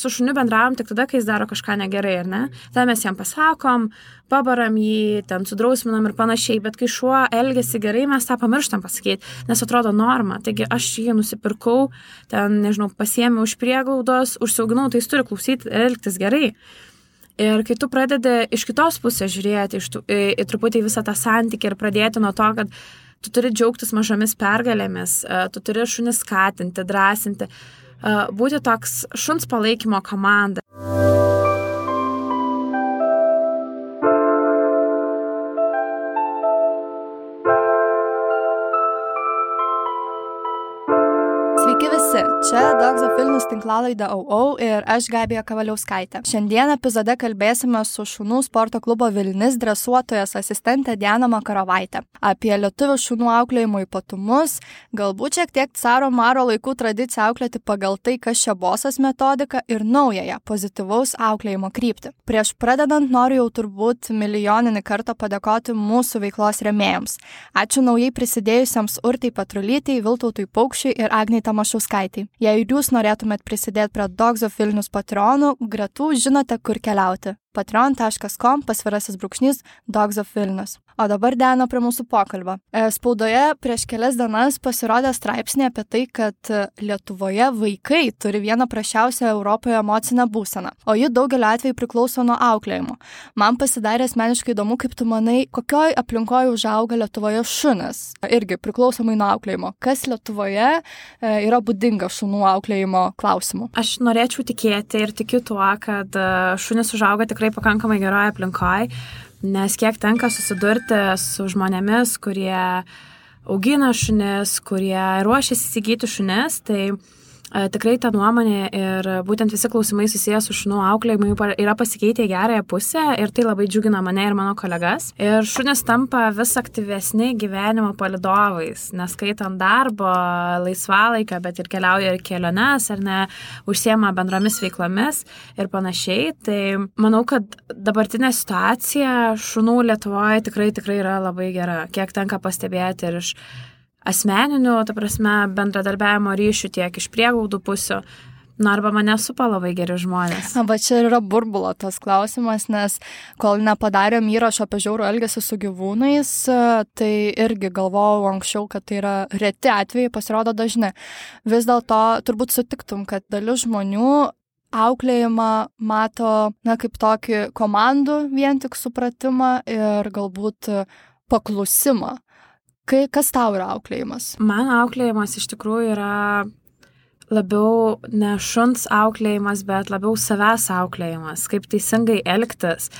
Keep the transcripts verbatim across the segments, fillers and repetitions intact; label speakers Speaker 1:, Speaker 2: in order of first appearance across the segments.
Speaker 1: su šuniu bendravom tik tada, kai jis daro kažką negerai, ar ne? Tada mes jam pasakom, pabaram jį, ten sudrausminam ir panašiai, bet kai šuo elgiasi gerai, mes tą pamirštam pasakyti, nes atrodo norma. Taigi aš jį nusipirkau, ten, nežinau, pasiėmiau už prieglaudos, užsiauginau, tai jis turi klausyti ir elgtis gerai. Ir kai tu pradedi iš kitos pusės žiūrėti iš tų, į, į truputį visą tą santykį ir pradėti nuo to, kad tu turi džiaugtis mažomis pergalėmis, tu turi šunį skatinti, drąsinti, būti toks šuns palaikymo komanda.
Speaker 2: Sveiki visi, čia Dogs of Vilnius tinklalaidė Au Au ir aš Gabija Kavaliauskaitė. Šiandien epizode kalbėsime su šunų sporto klubo Vilnis dresuotojas asistentė Diana Makarovaitė apie lietuvių šunų auklėjimo ypatumus, galbūt šiek tiek caro maro laikų tradiciją auklėti pagal tai, kas čia bosas metodika ir naująją pozityvaus auklėjimo kryptį. Prieš pradedant noriu jau turbūt milijoninį kartą padėkoti mūsų veiklos rėmėjams. Ačiū naujai prisidėjusiems Urtai Petrulytei, Viltautui Paukščiui ir Agnei Tamašauskaitei. Jei jūs norėtumėt prisidėti prie Dogs of Vilnius Patreonų, gretų žinote, kur keliauti. patreon taškas com pasvirasis brūkšnys Dogs of Vilnius. O dabar Diana prie mūsų pokalbio. Spaudoje prieš kelias dienas pasirodė straipsnė apie tai, kad Lietuvoje vaikai turi vieną prasčiausią Europoje emocinę būseną, o ji daugeliu atveju priklauso nuo auklėjimo. Man pasidarė asmeniškai įdomu, kaip tu manai, kokioj aplinkoje užauga Lietuvoje šunis, irgi priklausomai nuo auklėjimo. Kas Lietuvoje yra būdinga šunų auklėjimo klausimu?
Speaker 1: Aš norėčiau tikėti ir tikiu tuo, kad šunis užauga tikrai pakankamai geroje aplinkoje, nes kiek tenka susidurti su žmonėmis, kurie augina šunis, kurie ruošiasi įsigyti šunis, tai e, tikrai ta nuomonė ir būtent visi klausimai susiję su šunų auklėjimu yra pasikeitę į gerąją pusę ir tai labai džiugina mane ir mano kolegas. Ir šunis tampa vis aktyvesni gyvenimo palydovais, neskaitant darbo, laisvalaikio, bet ir keliauja ir keliones, ar ne, užsiema bendromis veiklomis ir panašiai. Tai manau, kad dabartinė situacija šunų Lietuvoje tikrai, tikrai yra labai gera. Kiek tenka pastebėti ir iš asmeninių, ta prasme, bendradarbiavimo ryšių, tiek iš prieglaudų pusių. Na, arba mane supa labai geri žmonės.
Speaker 2: Na, va čia yra burbulo tas klausimas, nes kol nepadarėm įrašo apie žiaurų elgesį su gyvūnais, tai irgi galvojau anksčiau, kad tai yra reti atvejai, pasirodo dažni. Vis dėlto turbūt sutiktum, kad dalis žmonių auklėjimą mato, na, kaip tokį komandų vien tik supratimą ir galbūt paklusimą. Kai, kas tau yra auklėjimas?
Speaker 1: Man auklėjimas iš tikrųjų yra labiau ne šuns auklėjimas, bet labiau savęs auklėjimas, kaip teisingai elgtis,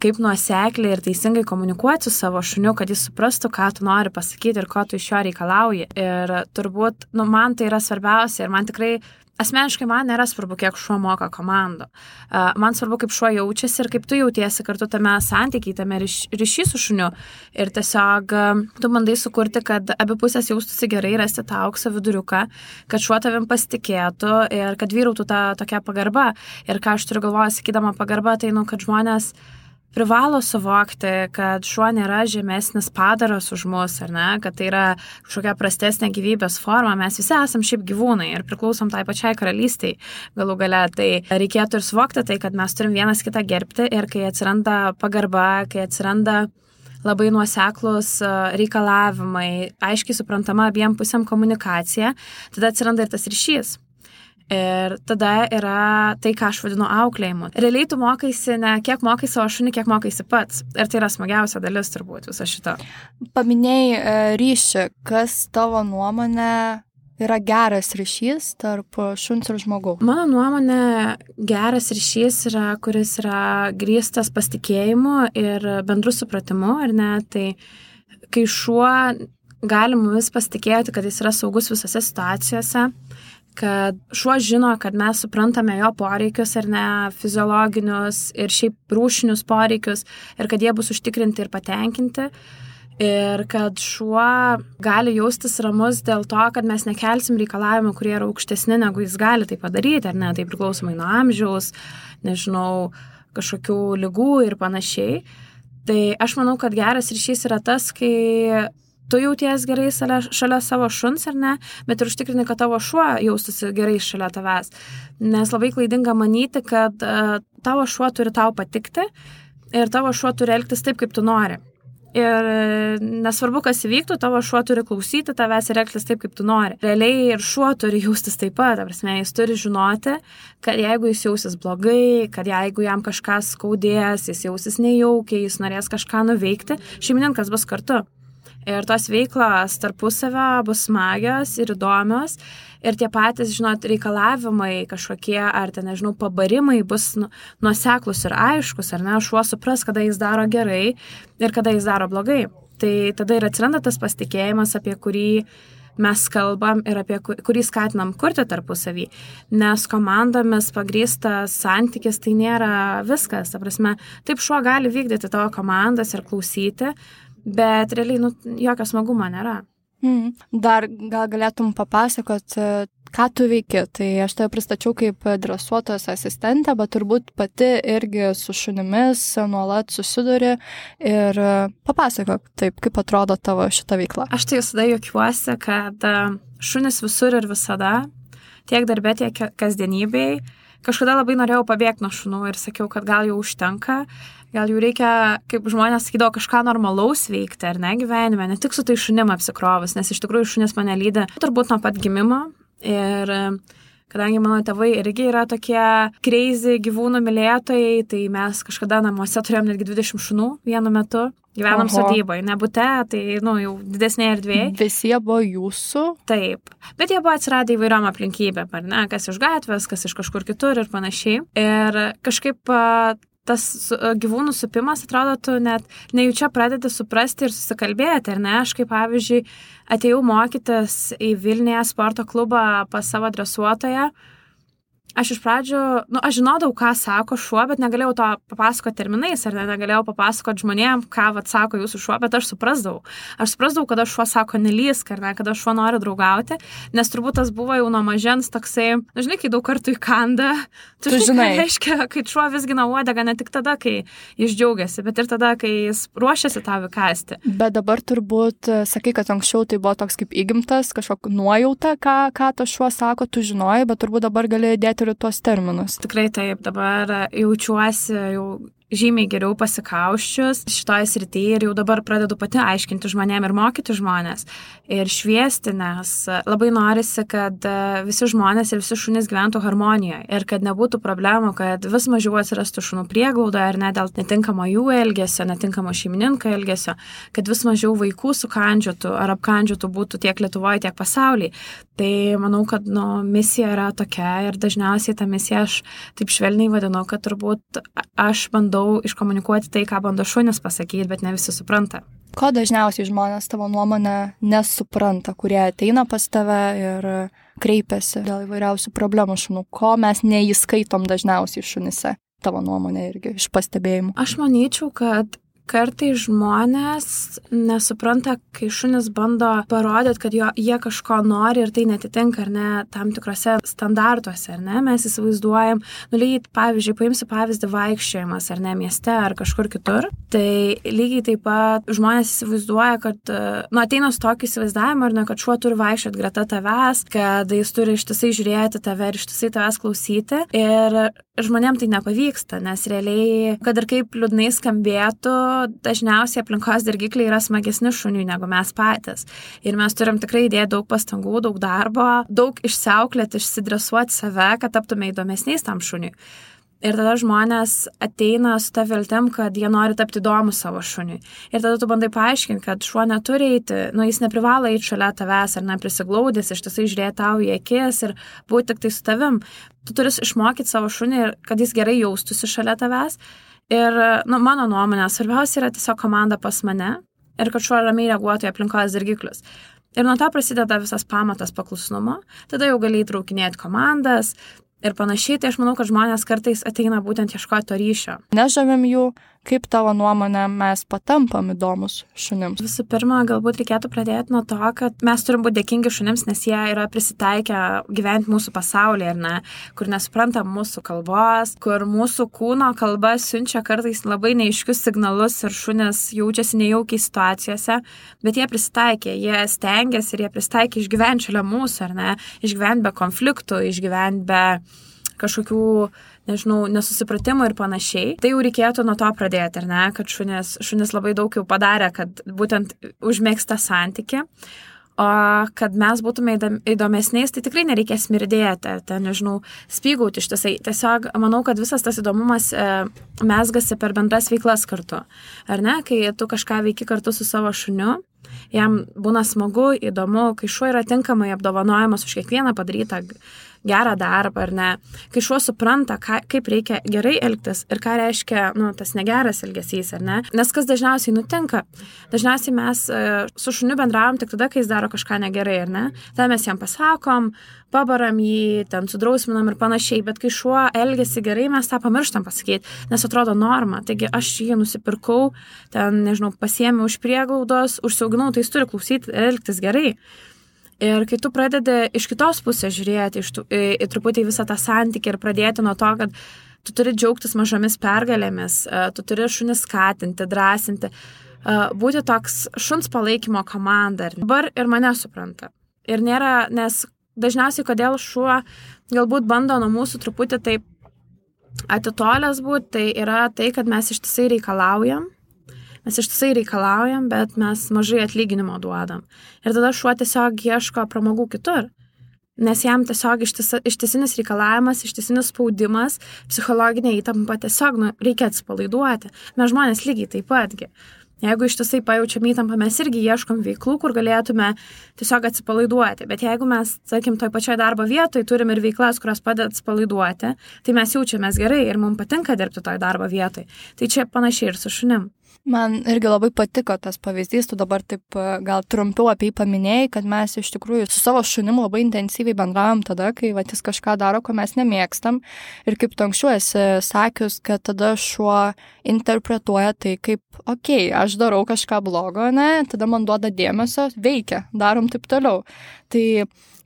Speaker 1: kaip nuosekliai ir teisingai komunikuoti su savo šuniu, kad jis suprastų, ką tu nori pasakyti ir ko tu iš jo reikalauji. Ir turbūt, nu, man tai yra svarbiausia ir man tikrai asmeniškai man nėra svarbu, kiek šuo moka komandų. Man svarbu, kaip šuo jaučiasi ir kaip tu jautiesi kartu tame santykiai, tame ryšy su šuniu. Ir tiesiog tu bandai sukurti, kad abi pusės jaustųsi gerai, rasti tą aukso viduriuką, kad šuo tavim pasitikėtų ir kad vyrautų ta tokia pagarba. Ir ką aš turiu galvoje, sakydama pagarba, tai, nu, kad žmonės privalo suvokti, kad šuo nėra žemesnis padaras už mus, ar ne, kad tai yra kažkokia prastesnė gyvybės forma. Mes visi esam šiaip gyvūnai ir priklausom tai pačiai karalystiai galų gale. Tai reikėtų ir suvokti tai, kad mes turim vienas kitą gerbti ir kai atsiranda pagarba, kai atsiranda labai nuoseklus reikalavimai, aiškiai suprantama abiem pusėm komunikacija, tada atsiranda ir tas ryšys. Ir tada yra tai, ką aš vadinu auklėjimu. Realiai tu mokaisi ne kiek mokai savo šunį, kiek mokaisi pats. Ir tai yra smagiausia dalis turbūt viso šito.
Speaker 2: Paminėjai ryšį. Kas tavo nuomonė yra geras ryšys tarp šuns ir žmogaus?
Speaker 1: Mano nuomonė, geras ryšys yra, kuris yra grįstas pasitikėjimu ir bendru supratimu, ar ne? Tai kai šuo gali mumis pasitikėti, kad jis yra saugus visose situacijose, kad šuo žino, kad mes suprantame jo poreikius ar ne, fiziologinius ir šiaip rūšinius poreikius ir kad jie bus užtikrinti ir patenkinti. Ir kad šuo gali jaustis ramus dėl to, kad mes nekelsim reikalavimų, kurie yra aukštesni, negu jis gali tai padaryti, ar ne, tai priklausomai nuo amžiaus, nežinau, kažkokių ligų ir panašiai. Tai aš manau, kad geras ryšys yra tas, kai tu jauties gerai šalia, šalia savo šuns ar ne, bet ir užtikrini, kad tavo šuo jaustųsi gerai šalia tavęs. Nes labai klaidinga manyti, kad uh, tavo šuo turi tau patikti ir tavo šuo turi elgtis taip, kaip tu nori. Ir nesvarbu, kas įvyktų, tavo šuo turi klausyti tavęs ir elgtis taip, kaip tu nori. Realiai ir šuo turi jaustis taip pat, prasme, jis turi žinoti, kad jeigu jis jausis blogai, kad jeigu jam kažkas skaudės, jis jausis nejaukiai, jis norės kažką nuveikti, šeimininkas bus kartu. Ir tos veiklos tarpusavio bus smagios ir įdomios. Ir tie patys, žinot, reikalavimai kažkokie, ar ten, nežinau, pabarimai bus nuoseklus ir aiškus, ar ne, šuo supras, kada jis daro gerai ir kada jis daro blogai. Tai tada ir atsiranda tas pasitikėjimas, apie kurį mes kalbam ir apie kurį skatinam kurti tarpusavį. Nes komandomis pagrįstas santykis tai nėra viskas. Ta prasme, taip šuo gali vykdyti tavo komandas ir klausyti, bet realiai, nu, jokio smagumo nėra.
Speaker 2: Mm. Dar gal galėtum papasakot, ką tu veiki. Tai aš tave pristačiau kaip dresuotojos asistentę, bet turbūt pati irgi su šunimis nuolat susiduri ir papasakok taip, kaip atrodo tavo šita veikla.
Speaker 1: Aš tai visada juokiuosi, kad šunis visur ir visada, tiek darbė, tiek kasdienybėj. Kažkada labai norėjau pabėgti nuo šunų ir sakiau, kad gal jau užtenka, gal jau reikia, kaip žmonės sakydavo, kažką normalaus veikti, ar ne, gyvenime, ne tik su tai šunim apsikrovus, nes iš tikrųjų šunis mane lydi turbūt nuo pat gimimo. Ir kadangi mano tėvai irgi yra tokie crazy gyvūnų mylėtojai, tai mes kažkada namuose turėjom netgi dvidešimt šunų vienu metu. Gyvenam sodyboje, ne bute, tai, nu, jau didesnė erdvėje.
Speaker 2: Visi jie buvo jūsų?
Speaker 1: Taip. Bet jie buvo atsiradę įvairiom aplinkybėm, ar ne, kas iš gatvės, kas iš kažkur kitur ir panašiai. Ir kažkaip tas gyvūnų supimas, atrodo, tu net nejučia pradedi suprasti ir susikalbėti, ar ne? Aš kaip pavyzdžiui atėjau mokytis į Vilniuje sporto klubą pas savo dresuotoją. Aš iš pradžių, nu, aš žinodavau, ką sako šuo, bet negalėjau to papasakoti terminais, ar ne, negalėjau papasakoti žmonėm, ką vat sako jūsų šuo, bet aš suprasdavau. Aš suprasdavau, kada šuo sako nelysk, ar ne, kada šuo nori draugauti, nes turbūt tas buvo jau nuo mažens toksai, nu, žinai, kai daug kartų įkanda, tu, tu žinai, ką reiškia, kai šuo visgina uodegą ne tik tada, kai jis džiaugiasi, bet ir tada, kai jis ruošiasi tau įkąsti.
Speaker 2: Bet dabar turbūt, sakai, kad anksčiau tai buvo toks kaip įgimtas, kažkokia nuojauta, ką, ką tas šuo sako, tu žinojai, bet turbūt dabar gali dėti tuos terminus.
Speaker 1: Tikrai taip, dabar jaučiuosi jau žymiai geriau pasikauščius šitoje srityje ir jau dabar pradedu pati aiškinti žmonėm ir mokyti žmonės ir šviesti, nes labai norisi, kad visi žmonės ir visi šunys gyventų harmonijoje ir kad nebūtų problemų, kad vis mažiau atsirastų šunų prieglaudoje ar ne dėl netinkamo jų elgesio, netinkamo šeimininko elgesio, kad vis mažiau vaikų sukandžiotų ar apkandžiotų būtų tiek Lietuvoje, tiek pasaulyje. Tai manau, kad nu, misija yra tokia ir dažniausiai tą misiją aš taip švelniai vadinu, kad turbūt aš bandau iškomunikuoti tai, ką bando šunis pasakyti, bet ne visi supranta.
Speaker 2: Ko dažniausiai žmonės tavo nuomonę nesupranta, kurie ateina pas tave ir kreipiasi dėl įvairiausių problemų šunų? Ko mes neįskaitom dažniausiai šunise? Tavo nuomonė irgi iš pastebėjimų.
Speaker 1: Aš manyčiau, kad kartai žmonės nesupranta, kai šunis bando parodyti, kad jo, jie kažko nori ir tai netitinka, ar ne, tam tikrose standartuose, ar ne, mes įsivaizduojam, nu lygiai, pavyzdžiui, paimsiu pavyzdį vaikščiojimas, ar ne, mieste, ar kažkur kitur, tai lygiai taip pat žmonės įsivaizduoja, kad, nu, ateina su tokiu įsivaizdavimu, ar ne, kad šuo turi vaikščioti greta tavęs, kad jis turi ištisai žiūrėti tave ir ištisai tavęs klausyti ir žmonėm tai nepavyksta, nes realiai, kad ir kaip liūdnai skambėtų, dažniausiai aplinkos dirgikliai yra smagesni šuniui negu mes patys. Ir mes turim tikrai įdėti daug pastangų, daug darbo, daug išsiauklėti, išsidresuoti save, kad taptume įdomesniais tam šuniui. Ir tada žmonės ateina su ta viltim, kad jie nori tapti įdomų savo šuniui. Ir tada tu bandai paaiškinti, kad šuo neturi eiti, nu jis neprivalo eiti šalia tavęs ar neprisiglaudęs, ištisai žiūrėti tau į akis ir būti tik tai su tavim. Tu turi išmokyti savo šunį, kad jis gerai jaustųsi šalia tavęs. Ir, nu, mano nuomonė, svarbiausia yra tiesiog komanda pas mane ir kad šuo ramiai reaguotų į aplinkos dirgiklius. Ir nuo to prasideda visas pamatas paklusnumo, tada jau gali įtraukinėti komandas ir panašiai, tai aš manau, kad žmonės kartais ateina būtent ieškoti to ryšio.
Speaker 2: Nežavim jų, kaip tavo nuomonė mes patampam įdomus šunims?
Speaker 1: Visų pirma, galbūt reikėtų pradėti nuo to, kad mes turim būti dėkingi šunims, nes jie yra prisitaikę gyventi mūsų pasaulyje, ar ne, kur nesupranta mūsų kalbos, kur mūsų kūno kalba siunčia kartais labai neaiškius signalus ir šunis jaučiasi nejaukiai situacijose, bet jie prisitaikė, jie stengiasi ir jie prisitaikė išgyventi šalia mūsų, ar ne, išgyventi be konfliktų, išgyventi be kažkokių, nežinau, nesusipratimų ir panašiai. Tai jau reikėtų nuo to pradėti, ar ne, kad šunis, šunis labai daug jau padarė, kad būtent užmėgsta santykį, o kad mes būtume įdomesniais, tai tikrai nereikia smirdėti, ar ten, nežinau, spygauti ištisai. Tiesiog manau, kad visas tas įdomumas e, mesgasi per bendras veiklas kartu, ar ne, kai tu kažką veiki kartu su savo šuniu, jam būna smagu, įdomu, kai šuo yra tinkamai apdovanojamas už kiekvieną padarytą gerą darbą, ar ne, kai šuo supranta, ką, kaip reikia gerai elgtis ir ką reiškia, nu, tas negeras elgesys, ar ne, nes kas dažniausiai nutinka, dažniausiai mes e, su šuniu bendravom tik tada, kai jis daro kažką negerai, ar ne, tada mes jam pasakom, pabaram jį, ten sudrausminam ir panašiai, bet kai šuo elgiasi gerai, mes tą pamirštam pasakyti, nes atrodo norma, taigi aš jį nusipirkau, ten, nežinau, pasiėmiau už prieglaudos, užsiauginau, tai jis turi klausyti ir elgtis gerai. Ir kai tu pradedi iš kitos pusės žiūrėti iš tų, į, į truputį visą tą santykį ir pradėti nuo to, kad tu turi džiaugtis mažomis pergalėmis, tu turi šunį skatinti, drąsinti, būti toks šuns palaikymo komanda. Dabar ir mane supranta. Ir nėra, nes dažniausiai kodėl šuo galbūt bando nuo mūsų truputį taip atitolęs būti, tai yra tai, kad mes ištisai reikalaujam. Mes ištisai reikalaujam, bet mes mažai atlyginimo duodam. Ir tada šuo tiesiog ieško pramogų kitur. Nes jam tiesiog ištisa, ištisinis reikalavimas, ištisinis spaudimas, psichologinė įtampa tiesiog nu, reikia atsipalaiduoti. Mes žmonės lygiai taip patgi. Jeigu ištisai pajaučiam įtampą, mes irgi ieškom veiklų, kur galėtume tiesiog atsipalaiduoti. Bet jeigu mes, sakim, toj pačioj darbo vietoj turim ir veiklas, kurios padeda atsipalaiduoti, tai mes jaučiamės gerai ir mums patinka dirbti toj darbo vietoj. Tai čia panašiai ir su šunim.
Speaker 2: Man irgi labai patiko tas pavyzdys, tu dabar taip gal trumpiau apie jį paminėjai, kad mes iš tikrųjų su savo šunim labai intensyviai bendravom tada, kai vat, jis kažką daro, ko mes nemėgstam. Ir kaip tu anksčiau esi sakius, kad tada šuo interpretuoja tai kaip, okei, okay, aš darau kažką blogo, ne, tada man duoda dėmesio, veikia, darom taip toliau. Tai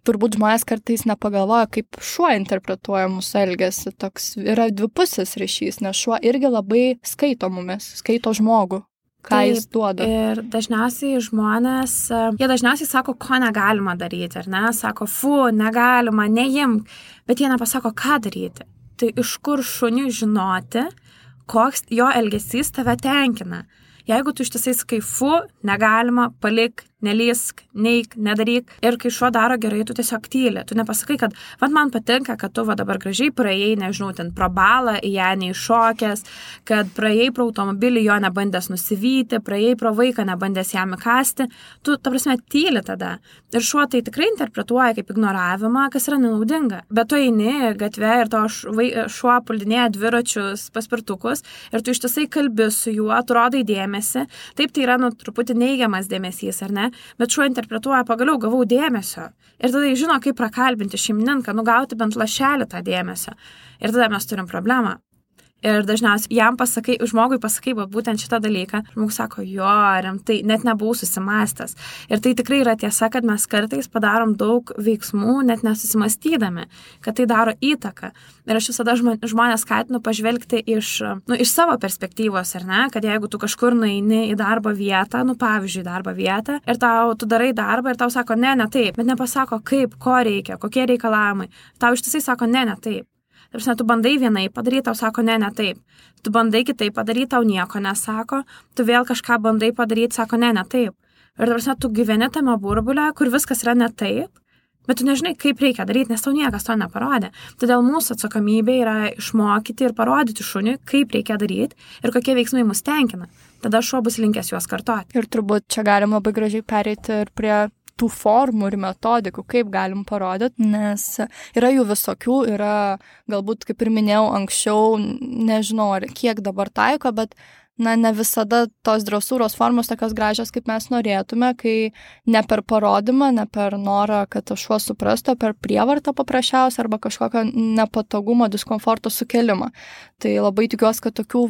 Speaker 2: turbūt žmonės kartais nepagalvoja, kaip šuo interpretuoja mūsų elgesį. Toks yra dvipusis ryšys, nes šuo irgi labai skaito mumis, skaito žmogų, ką Taip, jis duoda.
Speaker 1: Ir dažniausiai žmonės, jie dažniausiai sako, ko negalima daryti, ar ne? Sako, fu, negalima, neimk, bet jie nepasako, ką daryti. Tai iš kur šuniui žinoti, koks jo elgesys tave tenkina. Jeigu tu ištisai sakai, fu, negalima, palik, nelysk, neik, nedaryk. Ir kai šuo daro gerai, tu tiesiog tyli. Tu nepasakai, kad vat man patinka, kad tu va dabar gražiai praėjai, nežinau, ten pro balą, į ją neiššokęs, kad praėjai pro automobilį, jo nebandęs nusivyti, praėjai pro vaiką, nebandęs jam įkasti. Tu, ta prasme, tyli tada. Ir šuo tai tikrai interpretuoja kaip ignoravimą, kas yra nenaudinga. Bet tu eini gatve ir to šuo puldinėja dviračius, paspirtukus ir tu ištisai kalbi su juo, tu rodai dėmesį. Taip, tai yra, nu, truputį neigiamas dėmesys, ar ne? Bet šuo interpretuoja, pagaliau gavau dėmesio. Ir tada jis žino, kaip prakalbinti šeimininką, nugauti bent lašelį tą dėmesio. Ir tada mes turim problemą. Ir dažniausiai jam pasakai, žmogui pasakai būtent šitą dalyką, žmogus sako, jo, rimtai, net nebuvau susimastęs. Ir tai tikrai yra tiesa, kad mes kartais padarom daug veiksmų, net nesusimastydami, kad tai daro įtaką. Ir aš visada žmonės skatinu pažvelgti iš, nu, iš savo perspektyvos, ar ne, kad jeigu tu kažkur nueini į darbo vietą, nu, pavyzdžiui, darbo vietą, ir tau, tu darai darbą ir tau sako, ne, ne taip, bet nepasako, kaip, ko reikia, kokie reikalavimai. Tau ištisai sako, ne, ne taip. Tarsi, tu bandai vienai padaryti, tau sako, ne, ne taip. Tu bandai kitaip padaryti, tau nieko nesako. Tu vėl kažką bandai padaryti, sako, ne, ne taip. Ir tarsi, tu gyveni tame burbulė, kur viskas yra ne taip, bet tu nežinai, kaip reikia daryti, nes tau niekas to neparodė. Todėl mūsų atsakomybė yra išmokyti ir parodyti šuniui, kaip reikia daryti ir kokie veiksmai mus tenkina. Tada šuo bus linkęs juos kartoti.
Speaker 2: Ir turbūt čia galim labai gražiai pereiti ir prie tų formų ir metodikų, kaip galim parodyti, nes yra jų visokių, yra galbūt, kaip ir minėjau anksčiau, nežinau, ar kiek dabar taiko, bet na, ne visada tos dresūros formos tokios gražios, kaip mes norėtume, kai ne per parodymą, ne per norą, kad tas šuo suprastų, per prievartą paprasčiausiai arba kažkokio nepatogumo, diskomforto sukelimą. Tai labai tikiuosi, kad tokių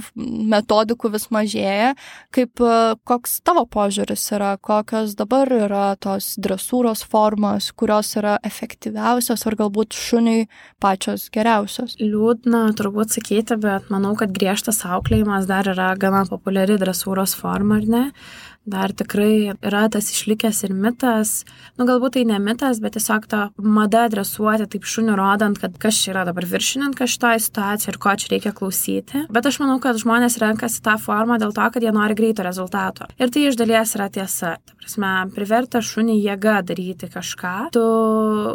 Speaker 2: metodikų vis mažėja. Kaip, koks tavo požiūris yra, kokios dabar yra tos dresūros formos, kurios yra efektyviausios ar galbūt šuniui pačios geriausios?
Speaker 1: Liūdna turbūt sakyti, bet manau, kad griežtas auklėjimas dar yra gana populiari dresūros forma, ar ne? Dar tikrai yra tas išlikęs ir mitas, nu galbūt tai ne mitas, bet tiesiog ta mada dresuoti taip šunių rodant, kad kas čia yra dabar viršininkas šitoje situacijoje ir ko čia reikia klausyti. Bet aš manau, kad žmonės renkasi tą formą dėl to, kad jie nori greito rezultato. Ir tai iš dalies yra tiesa. Ta prasme, priverta šunį jėga daryti kažką. Tu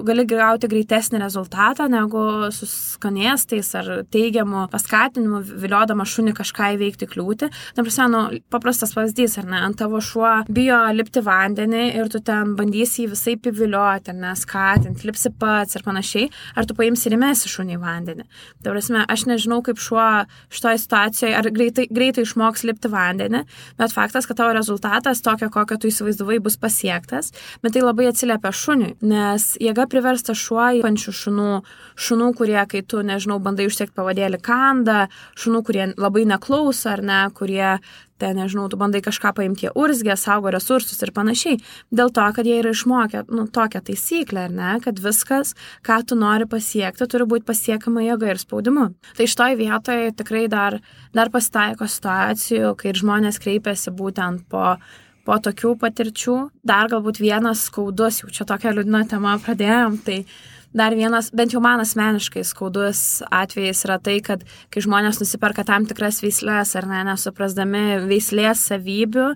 Speaker 1: gali gauti greitesnį rezultatą negu su skanėstais ar teigiamu paskatinimu viliodama šunį kažką įveikti kliūtį. Ta prasme, nu, paprastas pavyzdys, ar ne, ant tavo šuo bijo lipti vandenį ir tu ten bandysi jį visai pivilioti, ar neskatinti, lipsi pats ir panašiai, ar tu paimsi ir įmesi šunį į vandenį. Ta prasme, aš nežinau, kaip šuo šitoje situacijoje, ar greitai, greitai išmoks lipti vandenį, bet faktas, kad tavo rezultatas tokio, kokio tu įsivaizdavai, bus pasiektas, bet tai labai atsiliepia šuniui, nes jėga priversta šuo į pančių šunų, šunų, kurie, kai tu, nežinau, bandai užsiekti pavadėlį kandą, šunų, kurie labai neklauso, ar ne, kurie ten, nežinau, tu bandai kažką paimti, jie urzgia, saugo resursus ir panašiai. Dėl to, kad jie yra išmokę, nu, tokią taisyklę, ar ne, kad viskas, ką tu nori pasiekti, turi būti pasiekama jėga ir spaudimu. Tai šitoj vietoje tikrai dar, dar pasitaiko situacijų, kai žmonės kreipiasi būtent po, po tokių patirčių. Dar galbūt vienas skaudus, jau čia tokia liūdna tema pradėjom, tai dar vienas, bent jau man asmeniškai skaudus atvejais yra tai, kad kai žmonės nusiperka tam tikras veislės ar ne, nesuprasdami veislės savybių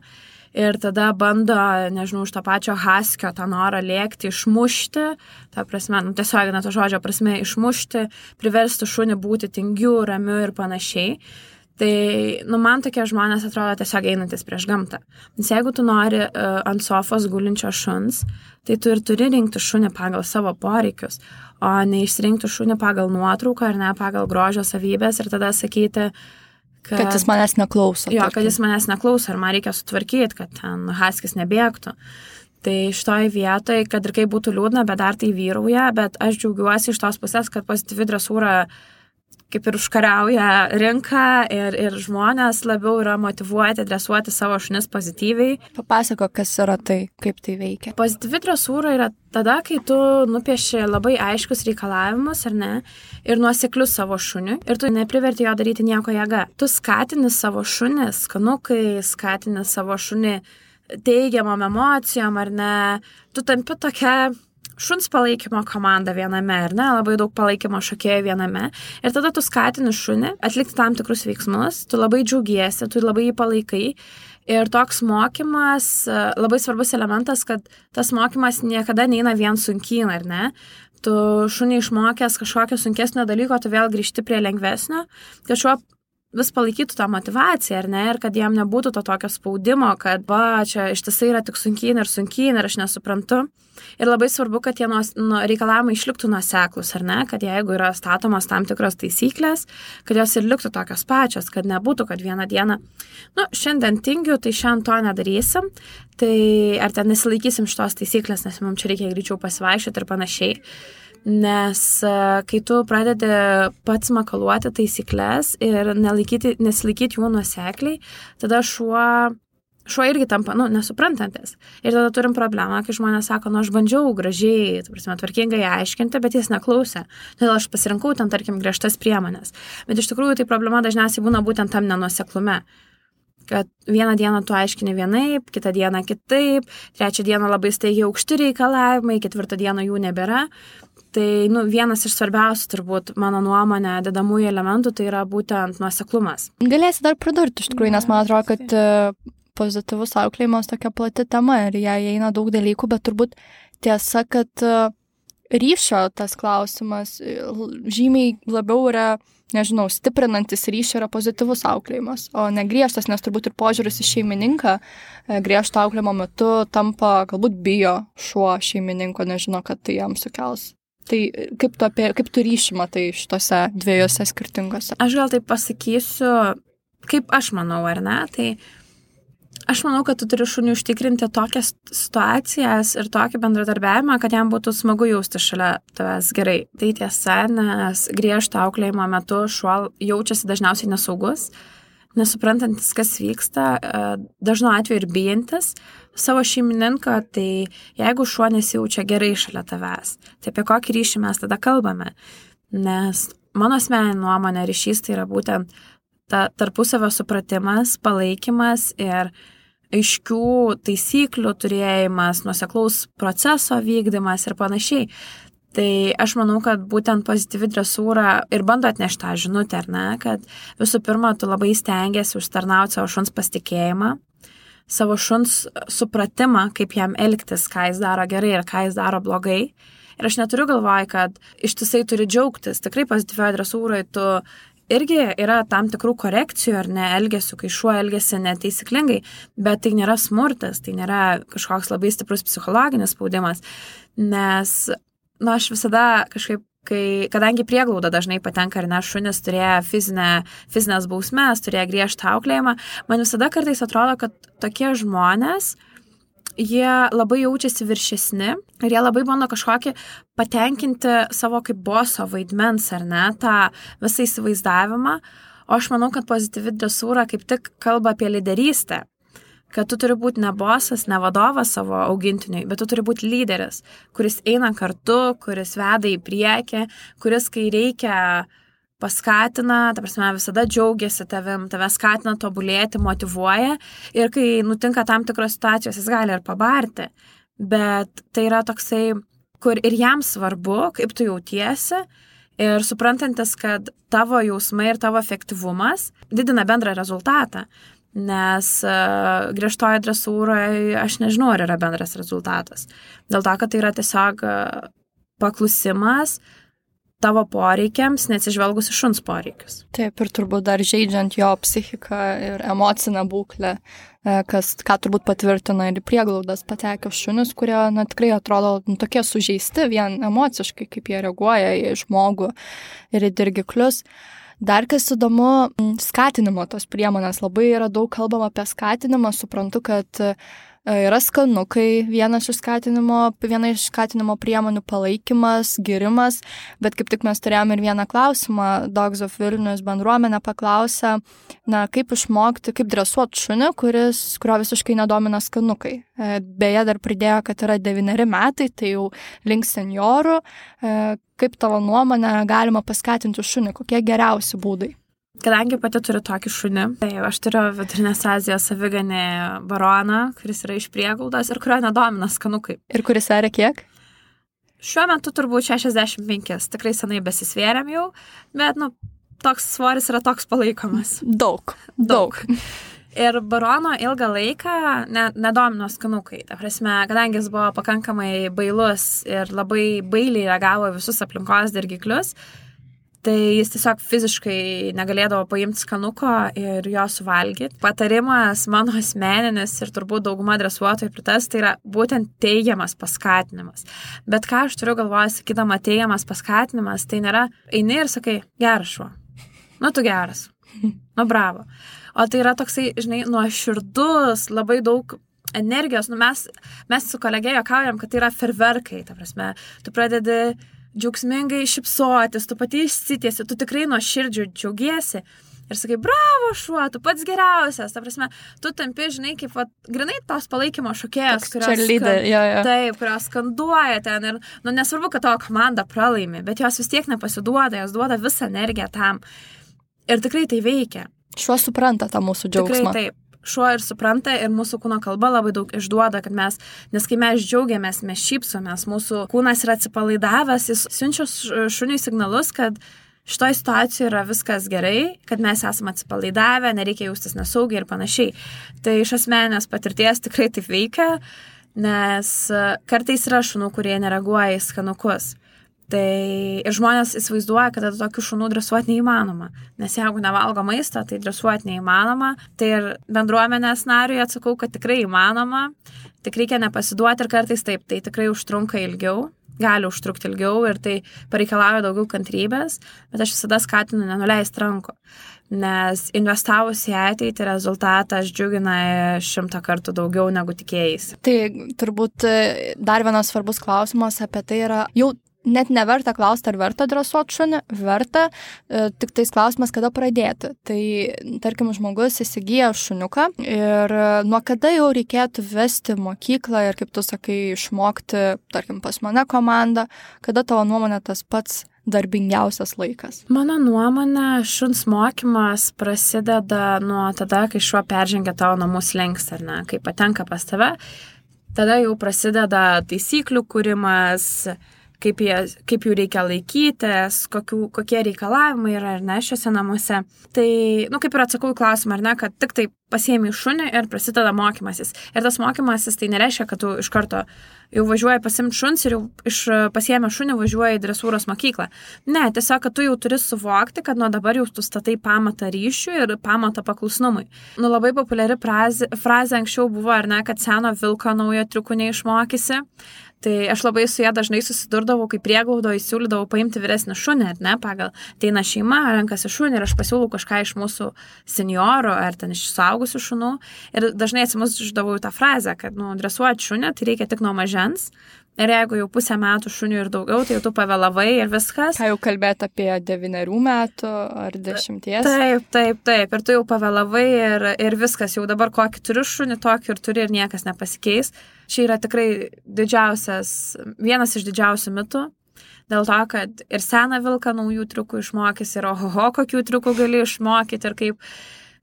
Speaker 1: ir tada bando, nežinau, už to pačio haskio tą norą lėkti, išmušti, ta prasme, nu, tiesiog, na, to žodžio prasme, išmušti, priversti šunį būti tingiu, ramiu ir panašiai. Tai, nu, man tokie žmonės atrodo tiesiog einantis prieš gamtą. Nes jeigu tu nori uh, ant sofos gulinčio šuns, tai tu ir turi rinkti šunį pagal savo poreikius, o ne išsirinkti šunį pagal nuotrauką ar ne pagal grožio savybės ir tada sakyti, kad,
Speaker 2: kad jis manęs neklauso.
Speaker 1: Jo, kad jis manęs neklauso ir man reikia sutvarkyti, kad ten haskis nebėgtų. Tai šitoj vietoj, kad ir kaip būtų liūdna, bet dar tai vyrauja, bet aš džiaugiuosi iš tos pusės, kad pozityvi dresūra kaip ir užkariauja rinką ir, ir žmonės labiau yra motyvuoti dresuoti savo šunis pozityviai.
Speaker 2: Papasako, kas yra tai, kaip tai veikia.
Speaker 1: Pozityvi dresūra yra tada, kai tu nupieši labai aiškus reikalavimus, ar ne, ir nuoseklius savo šuniui, ir tu nepriverti jo daryti nieko jėga. Tu skatini savo šunį, skanukai, skatini savo šunį teigiamom emocijom, ar ne, tu tampi tokia šuns palaikymo komanda viename, ar ne, labai daug palaikymo šokėjų viename. Ir tada tu skatini šunį atlikti tam tikrus veiksmus, tu labai džiaugiesi, tu labai jį palaikai. Ir toks mokymas, labai svarbus elementas, kad tas mokymas niekada neina vien sunkyn, ar ne. Tu šunį išmokęs kažkokio sunkesnio dalyko, tu vėl grįžti prie lengvesnio, kad šuo vis palaikytų tą motivaciją, ar ne, ir kad jam nebūtų to tokio spaudimo, kad va, čia ištisai yra tik sunkyn ir sunkyn ir aš nesuprantu. Ir labai svarbu, kad tie nuos, nu, reikalavimai išliktų nuoseklus, ar ne, kad jeigu yra statomos tam tikros taisyklės, kad jos ir liktų tokios pačios, kad nebūtų, kad vieną dieną, nu, šiandien tingiu, tai šiandien to nedarysim, tai ar ten nesilaikysim šitos taisyklės, nes mums čia reikia greičiau pasivaikščioti ir panašiai. Nes kai tu pradedi pats makaluoti taisyklės ir nelaikyti, nesilaikyti jų nuosekliai, tada šuo, šuo irgi tampa, nu, nesuprantantis. Ir tada turim problemą, kai žmonės sako, nu, aš bandžiau gražiai, prasme, tvarkingai aiškinti, bet jis neklausė. Todėl aš pasirinkau ten, tarkim, griežtas priemonės. Bet iš tikrųjų tai problema dažniausiai būna būtent tam nenuoseklume. Kad vieną dieną tu aiškini vienaip, kitą dieną kitaip, trečią dieną labai staigiai aukšti reikalavimai, ketvirtą dieną jų nebėra. Tai, nu, vienas iš svarbiausių, turbūt, mano nuomonė, dedamųjų elementų, tai yra būtent nuoseklumas.
Speaker 2: Galėsi dar pridurti, iš tikrųjų, nes man atrodo, kad pozityvus auklėjimas tokia plati tema ir ją įeina daug dalykų, bet turbūt tiesa, kad ryšio tas klausimas žymiai labiau yra, nežinau, stiprinantis ryšį yra pozityvus auklėjimas, o ne griežtas, nes turbūt ir požiūris į šeimininką griežto auklėjimo metu tampa, galbūt bijo šuo šeimininko, nežino, kad tai jam sukels. Tai kaip tu, apie, kaip tu ryšį matai šitose dviejose skirtingose?
Speaker 1: Aš gal taip pasakysiu, kaip aš manau, ar ne, tai aš manau, kad tu turi šuniui užtikrinti tokias situacijas ir tokį bendradarbiavimą, kad jam būtų smagu jausti šalia tavęs gerai. Tai tiesa, nes griežto auklėjimo metu šuo jaučiasi dažniausiai nesaugus, nesuprantantis, kas vyksta, dažnu atveju ir bijantis savo šeimininko, tai jeigu šuo nesijaučia gerai šalia tavęs, tai apie kokį ryšį mes tada kalbame. Nes mano asmeninė nuomonė ryšys tai yra būtent ta tarpusavio supratimas, palaikymas ir aiškių taisyklių turėjimas, nuoseklaus proceso vykdymas ir panašiai. Tai aš manau, kad būtent pozityvi dresūra ir bando atnešti tą žinutę, ar ne, kad visų pirma, tu labai stengiasi užtarnauti savo šuns pasitikėjimą, savo šuns supratimą, kaip jam elgtis, ką jis daro gerai ir ką jis daro blogai. Ir aš neturiu galvoj, kad ištisai turi džiaugtis. Tikrai pozityvioje dresūroje tu irgi yra tam tikrų korekcijų ar ne elgesių, kai šuo elgesi netaisyklingai, bet tai nėra smurtas, tai nėra kažkoks labai stiprus psichologinis spaudimas, nes, na, aš visada kažkaip, kai, kadangi prieglauda dažnai patenka ar ne, šunis turėjo fizinę, fizinės bausmes, turėjo griežtą auklėjimą, man visada kartais atrodo, kad tokie žmonės, jie labai jaučiasi viršesni ir jie labai bando kažkokį patenkinti savo kaip boso vaidmens, ar ne, tą visą įsivaizdavimą. O aš manau, kad pozityvi dresūra kaip tik kalba apie lyderystę, kad tu turi būti ne bosas, ne vadovas savo augintiniui, bet tu turi būti lyderis, kuris eina kartu, kuris veda į priekį, kuris, kai reikia, paskatina, ta prasme, visada džiaugiasi tavim, tave skatina tobulėti, motyvuoja ir kai nutinka tam tikros situacijos, jis gali ir pabarti, bet tai yra toksai, kur ir jam svarbu, kaip tu jautiesi ir suprantantis, kad tavo jausmai ir tavo efektyvumas didina bendrą rezultatą, nes uh, griežtoje dresūroje aš nežinau, ar yra bendras rezultatas. Dėl to, kad tai yra tiesiog uh, paklusimas tavo poreikiams, neatsižvelgus į šuns poreikius.
Speaker 2: Taip, ir turbūt dar žaidžiant jo psichiką ir emocinę būklę, kas, ką turbūt patvirtina ir prieglaudas patekę šunis, kurie, na, tikrai atrodo nu, tokie sužeisti vien emociškai, kaip jie reaguoja į žmogų ir į dirgiklius. Dar kas įdomu, skatinimo tos priemonės. Labai yra daug kalbama apie skatinimą, suprantu, kad yra skanukai, vienas iš skatinimo, viena iš skatinimo priemonių palaikymas, girimas, bet kaip tik mes turėjome ir vieną klausimą, Dogs of Vilnius bendruomenė paklausė, na, kaip išmokti, kaip dresuoti šunį, kuris, kurio visiškai nedomina skanukai. Beje, dar pridėjo, kad yra devyneri metai, tai jau link seniorų. Kaip tavo nuomonė galima paskatinti šunį, kokie geriausi būdai?
Speaker 1: Kadangi pati turiu tokį šunį, tai aš turiu Vidurinės Azijos aviganį baroną, kuris yra iš prieglaudos ir kurio nedomina skanukai.
Speaker 2: Ir kuris sveria kiek?
Speaker 1: Šiuo metu turbūt šešiasdešimt penki, tikrai senai besisvėrėm jau, bet, nu, toks svoris yra toks palaikomas.
Speaker 2: Daug, daug.
Speaker 1: Ir barono ilgą laiką ne, nedomino skanukai. Ta prasme, kadangi jis buvo pakankamai bailus ir labai bailiai reagavo visus aplinkos dirgiklius, tai jis tiesiog fiziškai negalėdavo paimti skanuko ir jo suvalgyti. Patarimas mano asmeninis ir turbūt dauguma dresuotojų pritars, tai yra būtent teigiamas paskatinimas. Bet ką aš turiu galvoje, sakydama teigiamas paskatinimas, tai nėra eini ir sakai, geras šuo, nu tu geras, nu bravo. O tai yra toksai, žinai, nuoširdus, labai daug energijos. Nu, mes, mes su kolegė juokaujam, kad tai yra ferverkai, ta prasme, tu pradedi džiaugsmingai šypsotis, tu pati išsitiesi, tu tikrai nuoširdžiai džiaugiesi ir sakai, bravo šuo, tu pats geriausias, ta prasme, tu tampi, žinai, kaip, va, grinai tos palaikymo šokėjos, kurios,
Speaker 2: leader, jo, jo.
Speaker 1: Taip, kurios skanduoja ten ir, nu, nesvarbu, kad tavo komanda pralaimi, bet jos vis tiek nepasiduoda, jos duoda visą energiją tam ir tikrai tai veikia.
Speaker 2: Šuo supranta tą mūsų džiaugsmą.
Speaker 1: Tikrai taip. Šuo ir supranta ir mūsų kūno kalba labai daug išduoda, kad mes, nes kai mes džiaugiamės, mes šypsomės, mūsų kūnas yra atsipalaidavęs, jis siunčia šuniui signalus, kad šitoje situacijoje yra viskas gerai, kad mes esame atsipalaidavę, nereikia jaustis nesaugiai ir panašiai. Tai iš asmeninės patirties tikrai taip veikia, nes kartais yra šunų, kurie nereaguoja į skanukus. Tai ir žmonės įsivaizduoja, kad tokių šunų dresuoti neįmanoma, nes jeigu nevalgo maisto, tai dresuoti neįmanoma. Tai ir bendruomenės nariui atsakau, kad tikrai įmanoma, tik reikia nepasiduoti ir kartais taip, tai tikrai užtrunka ilgiau, gali užtrukti ilgiau ir tai pareikalauja daugiau kantrybės, bet aš visada skatinu nenuleisti rankų, nes investavus į ateitį rezultatas džiugina šimtą kartų daugiau negu tikėjais.
Speaker 2: Tai turbūt dar vienas svarbus klausimas apie tai yra, jau net neverta klausti, ar verta dresuoti šunį, verta, tik tais klausimas, kada pradėti. Tai, tarkim, žmogus įsigyja šuniuką ir nuo kada jau reikėtų vesti mokyklą ir, kaip tu sakai, išmokti, tarkim, pas mane komandą, kada tavo nuomonė tas pats darbingiausias laikas?
Speaker 1: Mano nuomonė, šuns mokymas prasideda nuo tada, kai šuo peržengia tavo namų slenkstį, ar ne, kai patenka pas tave, tada jau prasideda taisyklių kūrimas, kaip, jie, kaip jų reikia laikytis, kokių, kokie reikalavimai yra ar ne šiuose namuose. Tai, nu, kaip ir atsakau į klausimą, ar ne, kad tik tai pasiėmi šunį ir prasideda mokymasis. Ir tas mokymasis tai nereiškia, kad tu iš karto jau važiuoji pasimti šuns ir jau iš pasiėmę šunį važiuoji į dresūros mokyklą. Ne, tiesiog, kad tu jau turi suvokti, kad nuo dabar jau tu statai pamatą ryšių ir pamatą paklusnumui. Nu, labai populiari frazė, frazė anksčiau buvo, ar ne, kad seno vilko naujo triukų neišmokysi. Tai aš labai su ją dažnai susidurdavau, kai prieglaudo įsiūlydavau paimti vyresnį šunį, ar ne, pagal ateina šeima, renkasi šunį ir aš pasiūlau kažką iš mūsų seniorų ar ten iš suaugusių šunų. Ir dažnai atsimuždavau į tą frazę, kad, nu, dresuoti šunį tai reikia tik nuo mažens. Ir jeigu jau pusę metų šunių ir daugiau, tai jau tu pavėlavai ir viskas.
Speaker 2: Ką jau kalbėti apie devynerių metų ar dešimties?
Speaker 1: Taip, taip, taip. Ir tu jau pavėlavai ir, ir viskas. Jau dabar kokį turi šunį, tokį ir turi ir niekas nepasikeis. Čia yra tikrai didžiausias, vienas iš didžiausių mitų. Dėl to, kad ir seną vilką naujų triukų išmokys ir ohoho, kokių triukų gali išmokyti ir kaip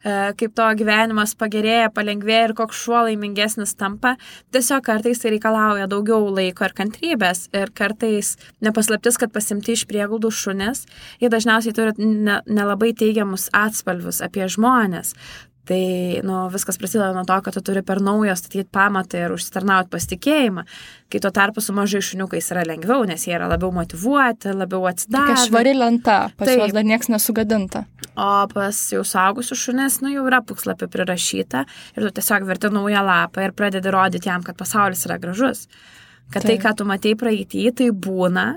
Speaker 1: kaip to gyvenimas pagerėja, palengvėja ir koks šuo laimingesnis tampa. Tiesiog kartais tai reikalauja daugiau laiko ir kantrybės ir kartais nepaslaptis, kad pasimti iš prieglaudų šunis, jie dažniausiai turi nelabai ne teigiamus atspalvius apie žmonės. Tai, nu, viskas prasideda nuo to, kad tu turi per naujo statyti pamatą ir užsitarnauti pasitikėjimą, kai tuo tarpu su mažai šuniukais yra lengviau, nes jie yra labiau motyvuoti, labiau atsidavę.
Speaker 2: Tokia švari lenta, pas juos dar nieks nesugadinta.
Speaker 1: O pas jau suaugusių šunis, nu, jau yra puslapį prirašyta ir tu tiesiog verti naują lapą ir pradedi rodyti jam, kad pasaulis yra gražus. Kad tai, tai ką tu matei praeitį, tai būna,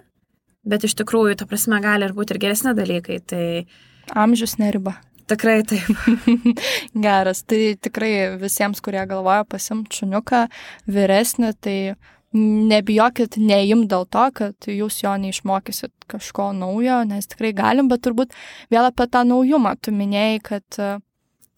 Speaker 1: bet iš tikrųjų, ta prasme, gali ir būti ir geresni dalykai. Tai
Speaker 2: amžius neriba.
Speaker 1: Tikrai taip.
Speaker 2: Geras. Tai tikrai visiems, kurie galvoja pasimti šuniuką vyresnį, tai nebijokit neim dėl to, kad jūs jo neišmokysit kažko naujo, nes tikrai galim, bet turbūt vėl apie tą naujumą. Tu minėjai, kad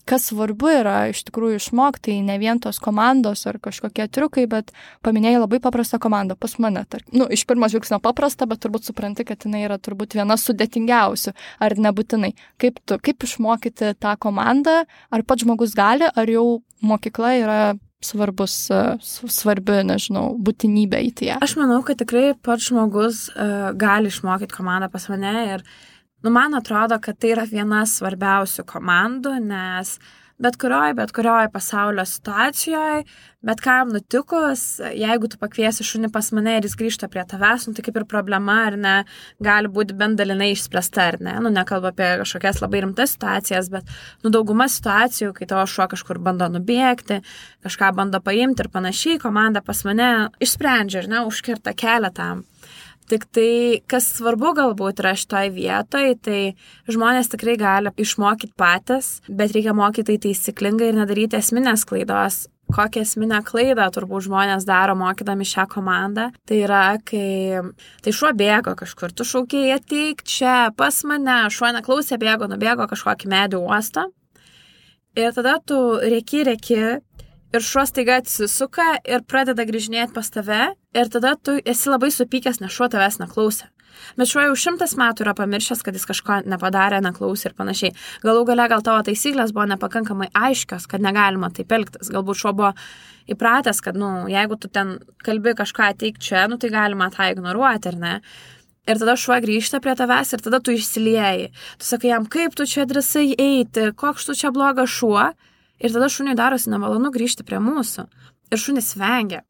Speaker 2: kas svarbu yra iš tikrųjų išmokti, tai ne vien tos komandos ar kažkokie triukai, bet paminėjai labai paprastą komandą pas mane. Tarp. Nu, iš pirmo žvilgsnio paprasta, bet turbūt supranti, kad jinai yra turbūt viena sudėtingiausių, ar nebūtinai. Kaip tu, kaip išmokyti tą komandą, ar pats žmogus gali, ar jau mokykla yra svarbus, svarbi, nežinau, būtinybė į ją?
Speaker 1: Aš manau, kad tikrai pats žmogus uh, gali išmokyti komandą pas mane ir nu, man atrodo, kad tai yra viena svarbiausių komandų, nes bet kurioj, bet kurioj pasaulio situacijoje, bet kam nutikus, jeigu tu pakviesi šunį pas mane ir jis grįžta prie tavęs, nu, tai kaip ir problema, ar ne, gali būti bent dalinai išspręsta, ar ne, nu, nekalbu apie kažkokias labai rimtas situacijas, bet, nu, dauguma situacijų, kai tavo šuo kažkur bando nubėgti, kažką bando paimti ir panašiai, komanda pas mane išsprendžia, ar ne, užkirta kelią tam. Tik tai, kas svarbu galbūt yra šitoj vietoj, tai žmonės tikrai gali išmokyti patys, bet reikia mokyti tai taisyklingai ir nedaryti esminės klaidos. Kokią esminę klaidą turbūt žmonės daro mokydami šią komandą. Tai yra, kai tai šuo bėgo kažkur, tu šaukėjai ateik čia pas mane, šuo neklausė, bėgo, nubėgo kažkokį medį uostą. Ir tada tu rėki, rėki. Ir šuo staiga atsisuka ir pradeda grįžinėti pas tave ir tada tu esi labai supykęs, nes šuo tavęs neklausė. Bet šuo jau šimtas metų yra pamiršęs, kad jis kažko nepadarė, neklausė ir panašiai. Galų gale gal tavo taisyklės buvo nepakankamai aiškios, kad negalima taip elgtis. Galbūt šuo buvo įpratęs, kad, nu, jeigu tu ten kalbi kažką ateik čia, nu, tai galima tą ignoruoti, ar ne? Ir tada šuo grįžta prie tavęs ir tada tu išsilieji. Tu sakai jam, kaip tu čia drąsai eiti, koks tu čia blogas šuo. Ir tada šuniui darosi nemalonu grįžti prie mūsų. Ir šunis vengia.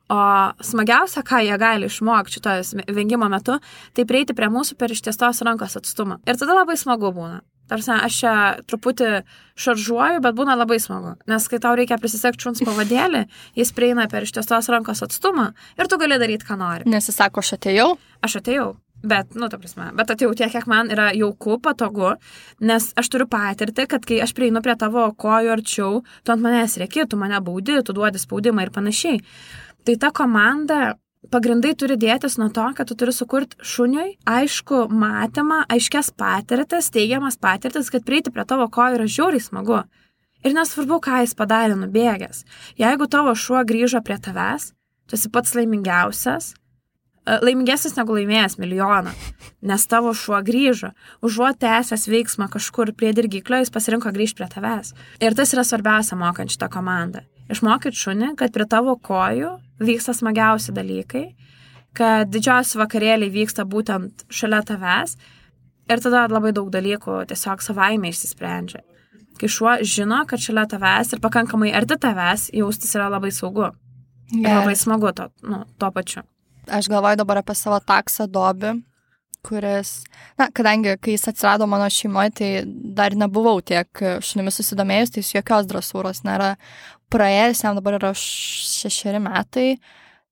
Speaker 1: O smagiausia, ką jie gali išmokti šito vengimo metu, tai prieiti prie mūsų per ištiestos rankos atstumą. Ir tada labai smagu būna. Tarsi, aš čia truputį šaržuoju, bet būna labai smagu. Nes kai tau reikia prisisekti šuns pavadėlį, jis prieina per ištiestos rankos atstumą ir tu gali daryti, ką nori.
Speaker 2: Nes jis sako, aš atėjau?
Speaker 1: Aš atėjau, bet, nu, ta prasme, bet atėjau tiek, kiek man yra jauku, patogu, nes aš turiu patirti, kad kai aš prieinu prie tavo kojų arčiau, tu ant manęs rėki, tu mane baudi, tu duodi spaudimą ir panašiai. Tai ta komanda pagrindai turi dėtis nuo to, kad tu turi sukurti šuniui aišku matymą, aiškias patirtis, teigiamas patirtis, kad prieiti prie tavo kojų yra žiauriai smagu. Ir nesvarbu, ką jis padarė nubėgęs. Jeigu tavo šuo grįžo prie tavęs, tu esi pats laimingiausias, laimingesnis negu laimėjęs milijoną, nes tavo šuo grįžo, užuot tęsęs veiksmą kažkur prie dirgiklio, jis pasirinko grįžti prie tavęs. Ir tas yra svarbiausia mokant šitą komandą. Išmokyti šunį, kad prie tavo kojų vyksta smagiausi dalykai, kad didžiausi vakarėliai vyksta būtent šalia tavęs ir tada labai daug dalykų tiesiog savaime išsisprendžia. Kai šuo žino, kad šalia tavęs ir pakankamai arti tavęs jaustis yra labai saugu. Ir yeah. labai smagu to, nu, to pačiu.
Speaker 2: Aš galvoju dabar apie savo taksą Dobį, kuris, na, kadangi kai jis atsirado mano šeimoje, tai dar nebuvau tiek šunimis susidomėjus, tai jis jokios dresūros nėra praėjęs, jam dabar yra šešeri metai,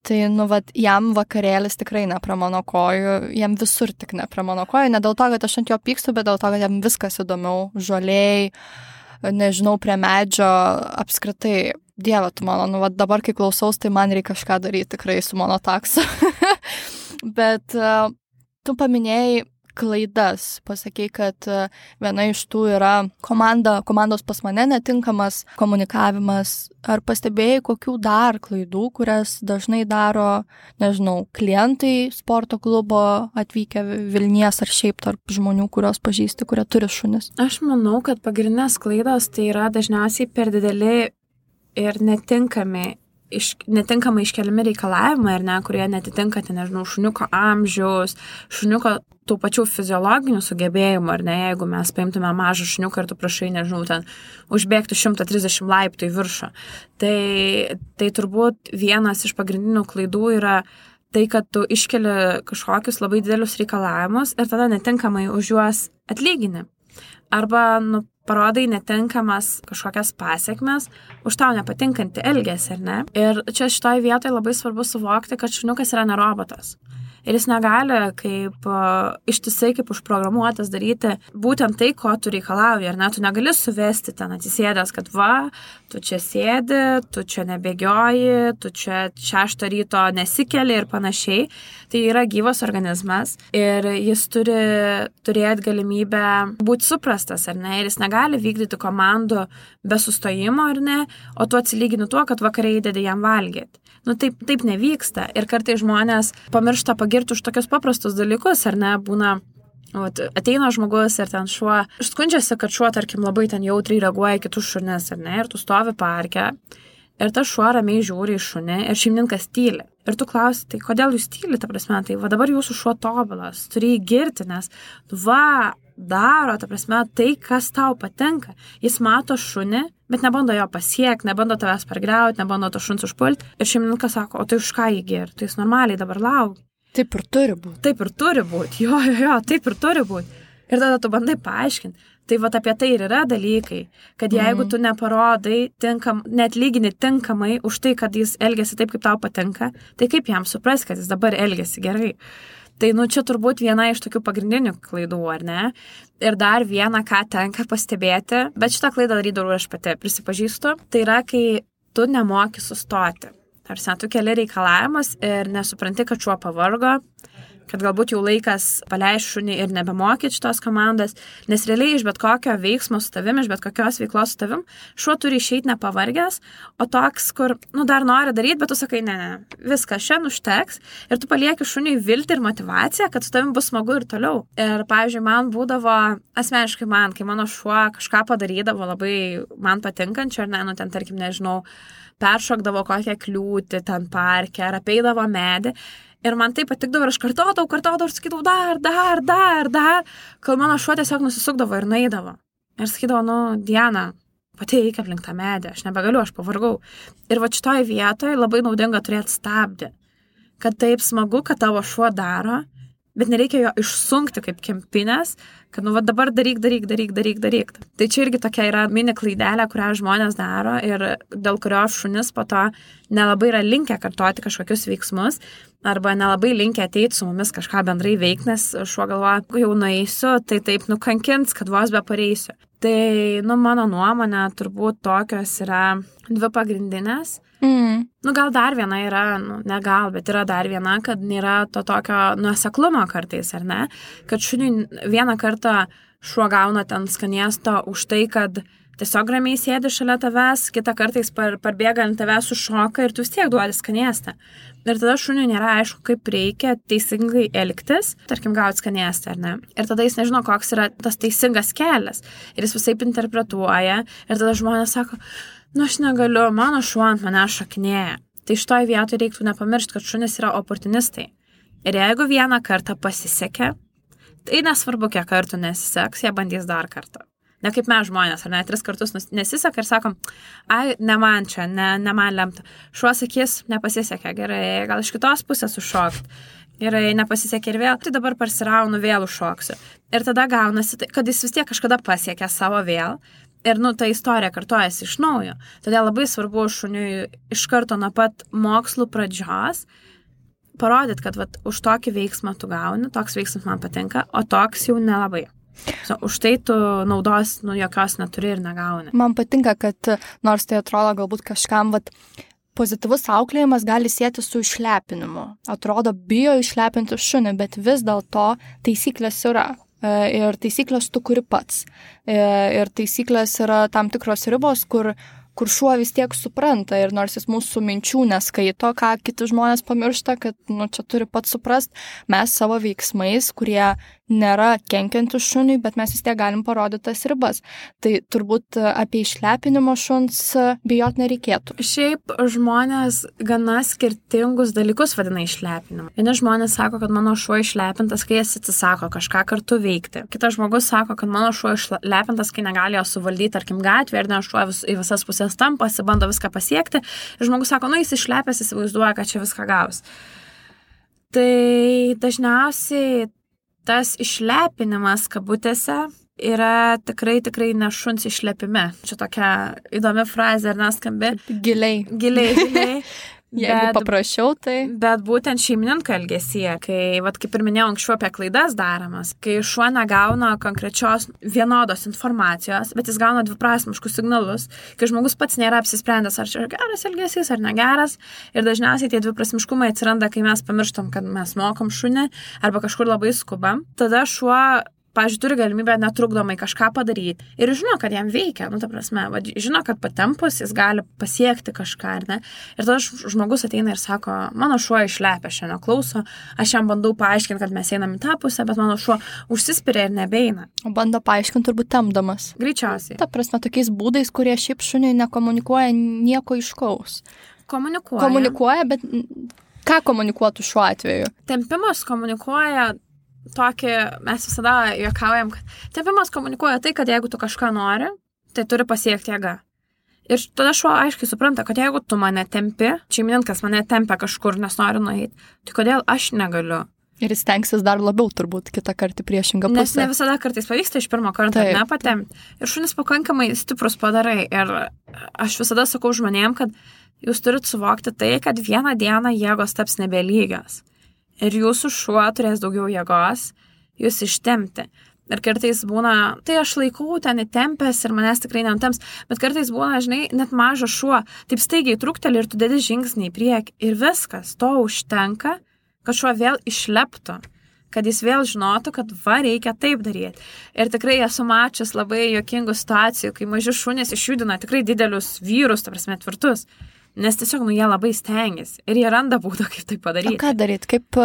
Speaker 2: tai, nu, vat, jam vakarėlis tikrai ne prie mano kojų, jam visur tik ne prie mano kojų, ne dėl to, kad aš ant jo pykstu, bet dėl to, kad jam viskas įdomiau, žoliai, nežinau, prie medžio, apskritai, Dieve, tu mano, nu, vat, dabar, kai klausaus, tai man reikia kažką daryti tikrai su mano taksu. Bet uh, tu paminėjai klaidas, pasakei, kad viena iš tų yra komanda, komandos pas mane netinkamas komunikavimas. Ar pastebėjai kokių dar klaidų, kurias dažnai daro, nežinau, klientai sporto klubo atvykę Vilnies ar šiaip tarp žmonių, kurios pažįsti, kurie turi šunis?
Speaker 1: Aš manau, kad pagrindinės klaidos tai yra dažniausiai per dideli ir netinkami Iš, netinkamai iškeliami reikalavimai, ar ne, kurie netitinka, tai nežinau, šuniuko amžiaus, šuniuko tų pačių fiziologinių sugebėjimų, ar ne, jeigu mes paimtume mažą šuniuką ir tu prašai, nežinau, ten užbėgti šimtą trisdešimt laiptų į viršų. Tai, tai turbūt vienas iš pagrindinių klaidų yra tai, kad tu iškeli kažkokius labai didelius reikalavimus ir tada netinkamai už juos atlygini. Arba, nu, parodai netinkamas kažkokias pasiekmes už tau nepatinkantį elgesį, ar ne? Ir čia šitoj vietoje labai svarbu suvokti, kad šuniukas yra ne robotas. Ir jis negali kaip uh, ištisai kaip užprogramuotas daryti būtent tai, ko tu reikalauji, ar ne? Tu negali suvesti ten atsisėdęs, kad va, tu čia sėdi, tu čia nebėgioji, tu čia šeštą ryto nesikeli ir panašiai. Tai yra gyvas organizmas ir jis turi turėti galimybę būti suprastas, ar ne? Ir jis negali vykdyti komandų be sustojimo, ar ne? O tu atsilygini tuo, kad vakarai įdedi jam valgyti. Nu, taip, taip nevyksta. Ir kartai žmonės pamiršta pagirti už tokius paprastus dalykus, ar ne, būna, vat, ateina žmogus ir ten šuo, skundžiasi, kad šuo, tarkim, labai ten jautriai reaguoja į kitus šunis, ar ne, ir tu stovi parke, ir tas šuo ramiai žiūri į šunį, ir šeimininkas tyli. Ir tu klausi, tai kodėl jūs tyli, ta prasme, tai va dabar jūsų šuo tobulas, turi jį girti, nes va, daro, ta prasme, tai, kas tau patinka. Jis mato šunį, bet nebando jo pasiekti, nebando tavęs pargriauti, nebando to šuns užpulti. Ir šeimininkas sako, o tai už ką jį girti? Tai jis normaliai dabar laukia.
Speaker 2: Taip ir turi būti.
Speaker 1: Taip ir turi būti, jo, jo, jo, taip ir turi būti. Ir tada tu bandai paaiškinti. Tai vat apie tai ir yra dalykai, kad jeigu tu neparodai, tinkam, net lygini tinkamai už tai, kad jis elgiasi taip, kaip tau patinka, tai kaip jam supras, kad jis dabar elgiasi gerai. Tai, nu, čia turbūt viena iš tokių pagrindinių klaidų, ar ne? Ir dar viena, ką tenka pastebėti, bet šitą klaidą darydavau aš pati, prisipažįstu, tai yra, kai tu nemoki sustoti. Tarsi, tu keli reikalavimus ir nesupranti, kad šuo pavargo, kad galbūt jau laikas paleisti šunį ir nebemokyti šitos komandos, nes realiai iš bet kokio veiksmo su tavim, iš bet kokios veiklos su tavim, šuo turi išeiti nepavargęs, o toks, kur, nu, dar nori daryti, bet tu sakai, ne, ne, viskas šiandien užteks ir tu palieki šuniui viltį ir motivaciją, kad su tavim bus smagu ir toliau. Ir, pavyzdžiui, man būdavo, asmeniškai man, kai mano šuo kažką padarydavo labai man patinkančio, ar ne, nu, ten, tarkim, nežinau, peršokdavo kokią kliūtį ten parke, ar apeidavo medį. Ir man tai patikdavo ir aš kartodavau, kartodavau ir sakydavau dar, dar, dar, dar, kol mano šuo tiesiog nusisukdavo ir naidavo. Ir sakydavo, nu, Diana, pati eik aplink tą medį, aš nebegaliu, aš pavargau. Ir va šitoje vietoje labai naudinga turėti stabdį, kad taip smagu, kad tavo šuo daro, bet nereikia jo išsunkti kaip kempinės, kad nu va dabar daryk, daryk, daryk, daryk, daryk. Tai čia irgi tokia yra mini klaidelė, kurią žmonės daro ir dėl kurios šunis po to nelabai yra linkę kartoti kažkokius veiksmus arba nelabai linkę ateiti su mumis kažką bendrai veikti, nes šuo galvoja, jau nueisiu, tai taip nukankins, kad vos be pareisiu. Tai, nu, mano nuomonė, turbūt tokios yra dvi pagrindinės.
Speaker 2: Mm.
Speaker 1: Nu, gal dar viena yra, nu, ne gal, bet yra dar viena, kad nėra to tokio nuoseklumo kartais, ar ne? Kad šuniui vieną kartą šuo gauna ten skanėsto už tai, kad tiesiog ramiai sėdi šalia tavęs, kitą kartais par, parbėga ant tavęs sušoka ir tu vis tiek duodi skanėstą. Ir tada šuniui nėra aišku, kaip reikia teisingai elgtis, tarkim, gauti skanėstą, ar ne? Ir tada jis nežino, koks yra tas teisingas kelias. Ir jis visaip interpretuoja. Ir tada žmonės sako, nu aš negaliu, mano šuo ant mane šokinėja. Tai šitoj vietoj reiktų nepamiršti, kad šunys yra oportunistai. Ir jeigu vieną kartą pasisekė, tai nesvarbu, kiek kartų nesiseks, jie bandys dar kartą. Ne kaip mes žmonės, ar ne, tris kartus nesiseka ir sakom, ai, ne man čia, ne, ne man lemta. Šuo sakys, nepasisekė, gerai, gal iš kitos pusės užšokt. Gerai, nepasisekė ir vėl, tai dabar parsiraunu, vėl užšoksiu. Ir tada gaunasi, kad jis vis tiek kažkada pasiekė savo vėl. Ir, nu, ta istorija kartojasi iš naujo. Todėl labai svarbu šuniui iš karto nuo pat mokslų pradžios parodyti, kad vat, už tokį veiksmą tu gauni, toks veiksmas man patinka, o toks jau nelabai. So, už tai tu naudos, nu, jokios neturi ir negauni.
Speaker 2: Man patinka, kad nors tai atrodo galbūt kažkam, vat, pozityvus auklėjimas gali sieti su išlepinimu. Atrodo, bijo išlepinti šunį, bet vis dėlto taisyklės yra. Ir taisyklės tu kuri pats. Ir taisyklės yra tam tikros ribos, kur, kur šuo vis tiek supranta. Ir nors jis mūsų minčių neskaito, ką kiti žmonės pamiršta, kad nu, čia turi pats suprast, mes savo veiksmais, kurie nėra kenkiantis šuniui, bet mes vis tiek galim parodyti tas ribas. Tai turbūt apie išlepinimo šuns bijot nereikėtų.
Speaker 1: Šiaip žmonės gana skirtingus dalykus vadina išlepinimu. Vieni žmonės sako, kad mano šuo išlepintas, kai jis atsisako kažką kartu veikti. Kitas žmogus sako, kad mano šuo išlepintas, kai negali jo suvaldyti, tarkim, gatvė ir ne šuo vis, į visas pusės tampasi, bando viską pasiekti. Ir žmogus sako, nu jis išlepęs, įsivaizduoja, kad čia viską gaus. Tai dažniausiai tas išlepinimas kabutėse yra tikrai, tikrai ne šuns išlepime. Čia tokia įdomi frazė, ar neskambi?
Speaker 2: Giliai.
Speaker 1: Giliai, giliai.
Speaker 2: Jeigu bet, paprašiau, tai...
Speaker 1: Bet būtent šeimininko elgesyje, kai, vat, kaip ir minėjau anksčiau apie klaidas daromas, kai šuo negauna konkrečios vienodos informacijos, bet jis gauna dviprasmiškus signalus, kai žmogus pats nėra apsisprendęs, ar čia geras elgesys, ar negeras, ir dažniausiai tie dviprasmiškumai atsiranda, kai mes pamirštam, kad mes mokom šunį, arba kažkur labai skubam, tada šuo pavyzdžiui, turi galimybę netrukdomai kažką padaryti ir žino, kad jam veikia, nu, ta prasme, va, žino, kad patempus jis gali pasiekti kažką, ar ne? Ir tada žmogus ateina ir sako, mano šuo išlepia šiandien klauso, aš jam bandau paaiškinti, kad mes einam į tą pusę, bet mano šuo užsispiria ir nebeina.
Speaker 2: O bando paaiškinti turbūt tempdamas.
Speaker 1: Greičiausiai.
Speaker 2: Ta prasme, tokiais būdais, kurie šiaip šuniai nekomunikuoja nieko aiškaus.
Speaker 1: Komunikuoja.
Speaker 2: Komunikuoja, bet ką komunikuotų šiuo atveju?
Speaker 1: Tempimas komunikuoja tokį, mes visada juokaujam, kad tempimas komunikuoja tai, kad jeigu tu kažką nori, tai turi pasiekti jėga. Ir tada šuo aiškiai supranta, kad jeigu tu mane tempi, šeimininkas mane tempia kažkur, nes nori nueiti, tai kodėl aš negaliu?
Speaker 2: Ir jis tenksis dar labiau turbūt kitą kartą priešingą pusę.
Speaker 1: Nes ne visada kartais pavyksta iš pirmo karto nepatempti. Ir šunis pakankamai stiprus padarai. Ir aš visada sakau žmonėm, kad jūs turit suvokti tai, kad vieną dieną jėgos taps nebelygios. Ir jūsų šuo turės daugiau jėgos, jūs ištempti. Ir kartais būna, tai aš laikau ten įtempęs ir manęs tikrai nenutemps, bet kartais būna, žinai, net mažas šuo, taip staigiai trukteli ir tu dedi žingsnį į priekį. Ir viskas, to užtenka, kad šuo vėl išleptų, kad jis vėl žinotų, kad va, reikia taip daryti. Ir tikrai esu mačius labai juokingų situacijų, kai maži šunys išjudina tikrai didelius vyrus, ta prasme, tvirtus. Nes tiesiog, nu, jie labai stengiasi ir jie randa būdą, kaip tai padaryti.
Speaker 2: O ką daryti? Kaip,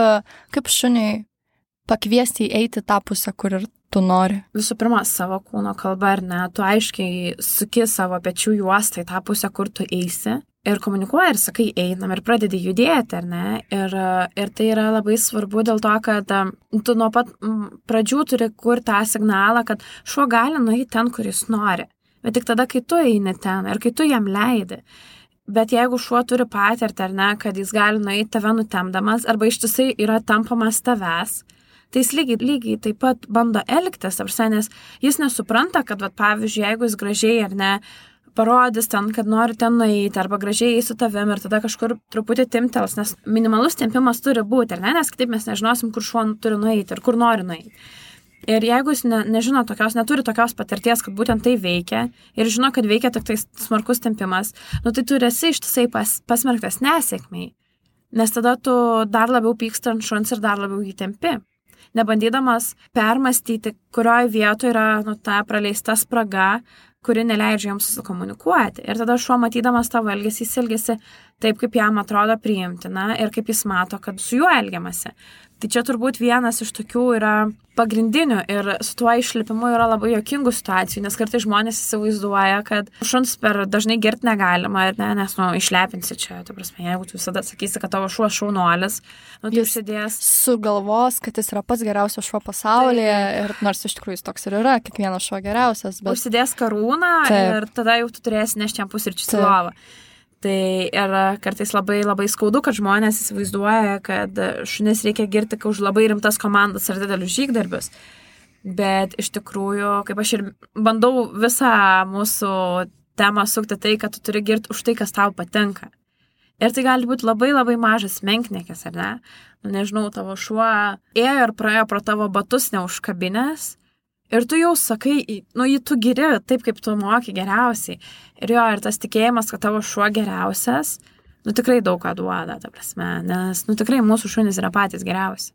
Speaker 2: kaip šuniui pakviesti eiti tą pusę, kur ir tu nori?
Speaker 1: Visų pirma, savo kūno kalba, ar ne, tu aiškiai suki savo pečių juostą į tą pusę, kur tu eisi ir komunikuoji ir sakai, einam ir pradedi judėti, ar ne? Ir, ir tai yra labai svarbu dėl to, kad tu nuo pat pradžių turi kur tą signalą, kad šuo gali nueiti ten, kur jis nori. Bet tik tada, kai tu eini ten ir kai tu jam leidi. Bet jeigu šuo turi patirtį, ar ne, kad jis gali nueiti tave nutemdamas, arba ištisai yra tampamas tavęs, tai jis lygiai, lygiai taip pat bando elgtis, apsai, nes jis nesupranta, kad, vat, pavyzdžiui, jeigu jis gražiai ar ne, parodys ten, kad nori ten nueiti, arba gražiai eis su tavim ir tada kažkur truputį timtels, nes minimalus tempimas turi būti, ar ne, nes kitaip mes nežinosim, kur šuo turi nueiti ir kur nori nueiti. Ir jeigu jis ne, nežino tokios, neturi tokios patirties, kad būtent tai veikia ir žino, kad veikia tik tai smarkus tempimas, nu tai tu esi ištisai pas, pasmerktas nesėkmiai, nes tada tu dar labiau pyksti ant šuns ir dar labiau jį tempi, nebandydamas permastyti, kurioje vietoje yra nu, ta praleista spraga, kuri neleidžia jiems susikomunikuoti. Ir tada šuo matydamas tavo elgesį, jis elgesi taip, kaip jam atrodo priimtina ir kaip jis mato, kad su juo elgiamasi. Tai čia turbūt vienas iš tokių yra pagrindinių ir su tuo išlipimu yra labai juokingų situacijų, nes kartais žmonės įsivaizduoja, kad šuns per dažnai girti negalima ir ne, nes nu, išlepinsi čia, tai prasme, jeigu tu visada sakysi, kad tavo šuo šaunuolis, nu, tai užsidės.
Speaker 2: Sugalvos, kad jis yra pats geriausias šuo pasaulyje tai, ir nors iš tikrųjų jis toks ir yra, kiekvienas šuo geriausias. Bet... Užsidės
Speaker 1: karūną taip. Ir tada jau tu turėsi nešti jam pusryčius į lovą. Tai ir kartais labai, labai skaudu, kad žmonės įsivaizduoja, kad šunis reikia girti už labai rimtas komandas ar didelius žygdarbius. Bet iš tikrųjų, kaip aš ir bandau visą mūsų temą sukti tai, kad tu turi girti už tai, kas tau patinka. Ir tai gali būti labai, labai mažas menkniekis, ar ne? Nu, nežinau, tavo šuo ėjo ir praėjo pro tavo batus neužkabinės. Ir tu jau sakai, nu, jį tu giri taip, kaip tu moki geriausiai. Ir jo, ir tas tikėjimas, kad tavo šuo geriausias, nu, tikrai daug ką duoda, ta prasme, nes, nu, tikrai mūsų šunys yra patys geriausi.